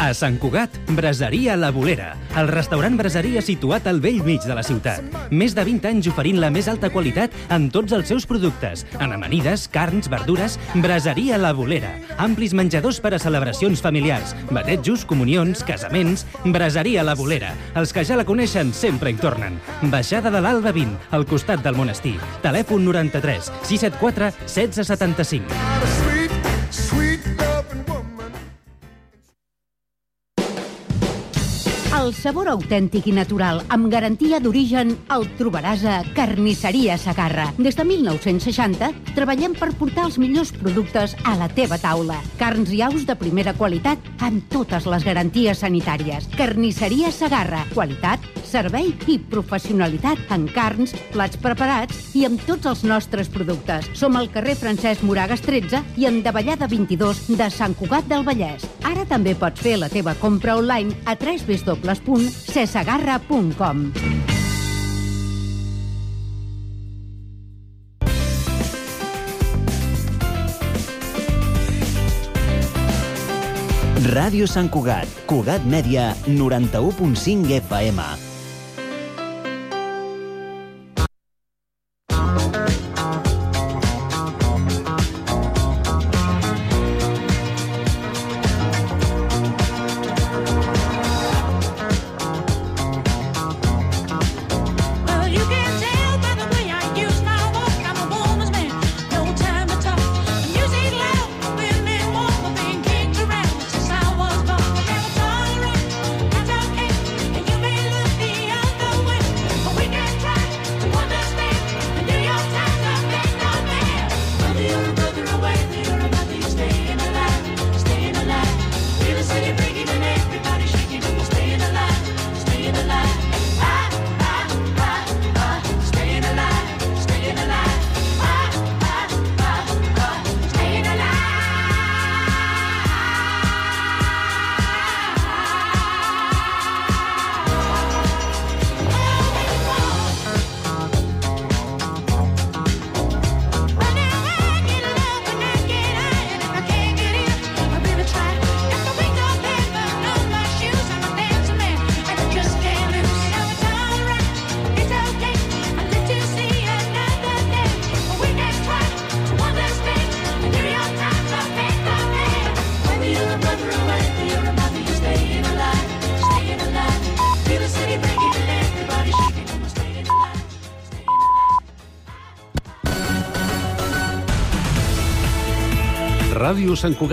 A Sant Cugat, Braseria La Bolera, el restaurant braseria situat al vell mig de la ciutat. Més de vint anys oferint la més alta qualitat en tots els seus productes, en amanides, carns, verdures. Braseria La Bolera, amplis menjadors per a celebracions familiars, batejos, comunions, casaments. Braseria La Bolera, els que ja la coneixen sempre hi tornen. Baixada de l'Alba vint, al costat del monestir. Telèfon noranta-tres sis set quatre setze setanta-cinc. El sabor autèntic i natural, amb garantia d'origen, el trobaràs a Carnisseria Segarra. Des de mil nou-cents seixanta, treballem per portar els millors productes a la teva taula. Carns i aus de primera qualitat, amb totes les garanties sanitàries. Carnisseria Segarra. Qualitat, servei i professionalitat en carns, plats preparats i amb tots els nostres productes. Som al carrer Francesc Moragas tretze i en Davallada vint-i-dos de Sant Cugat del Vallès. Ara també pots fer la teva compra online a w w w punt cesegarra punt com. Ràdio Sant Cugat, Cugat Mèdia, noranta-u punt cinc F M. Ràdio Sant Cugat.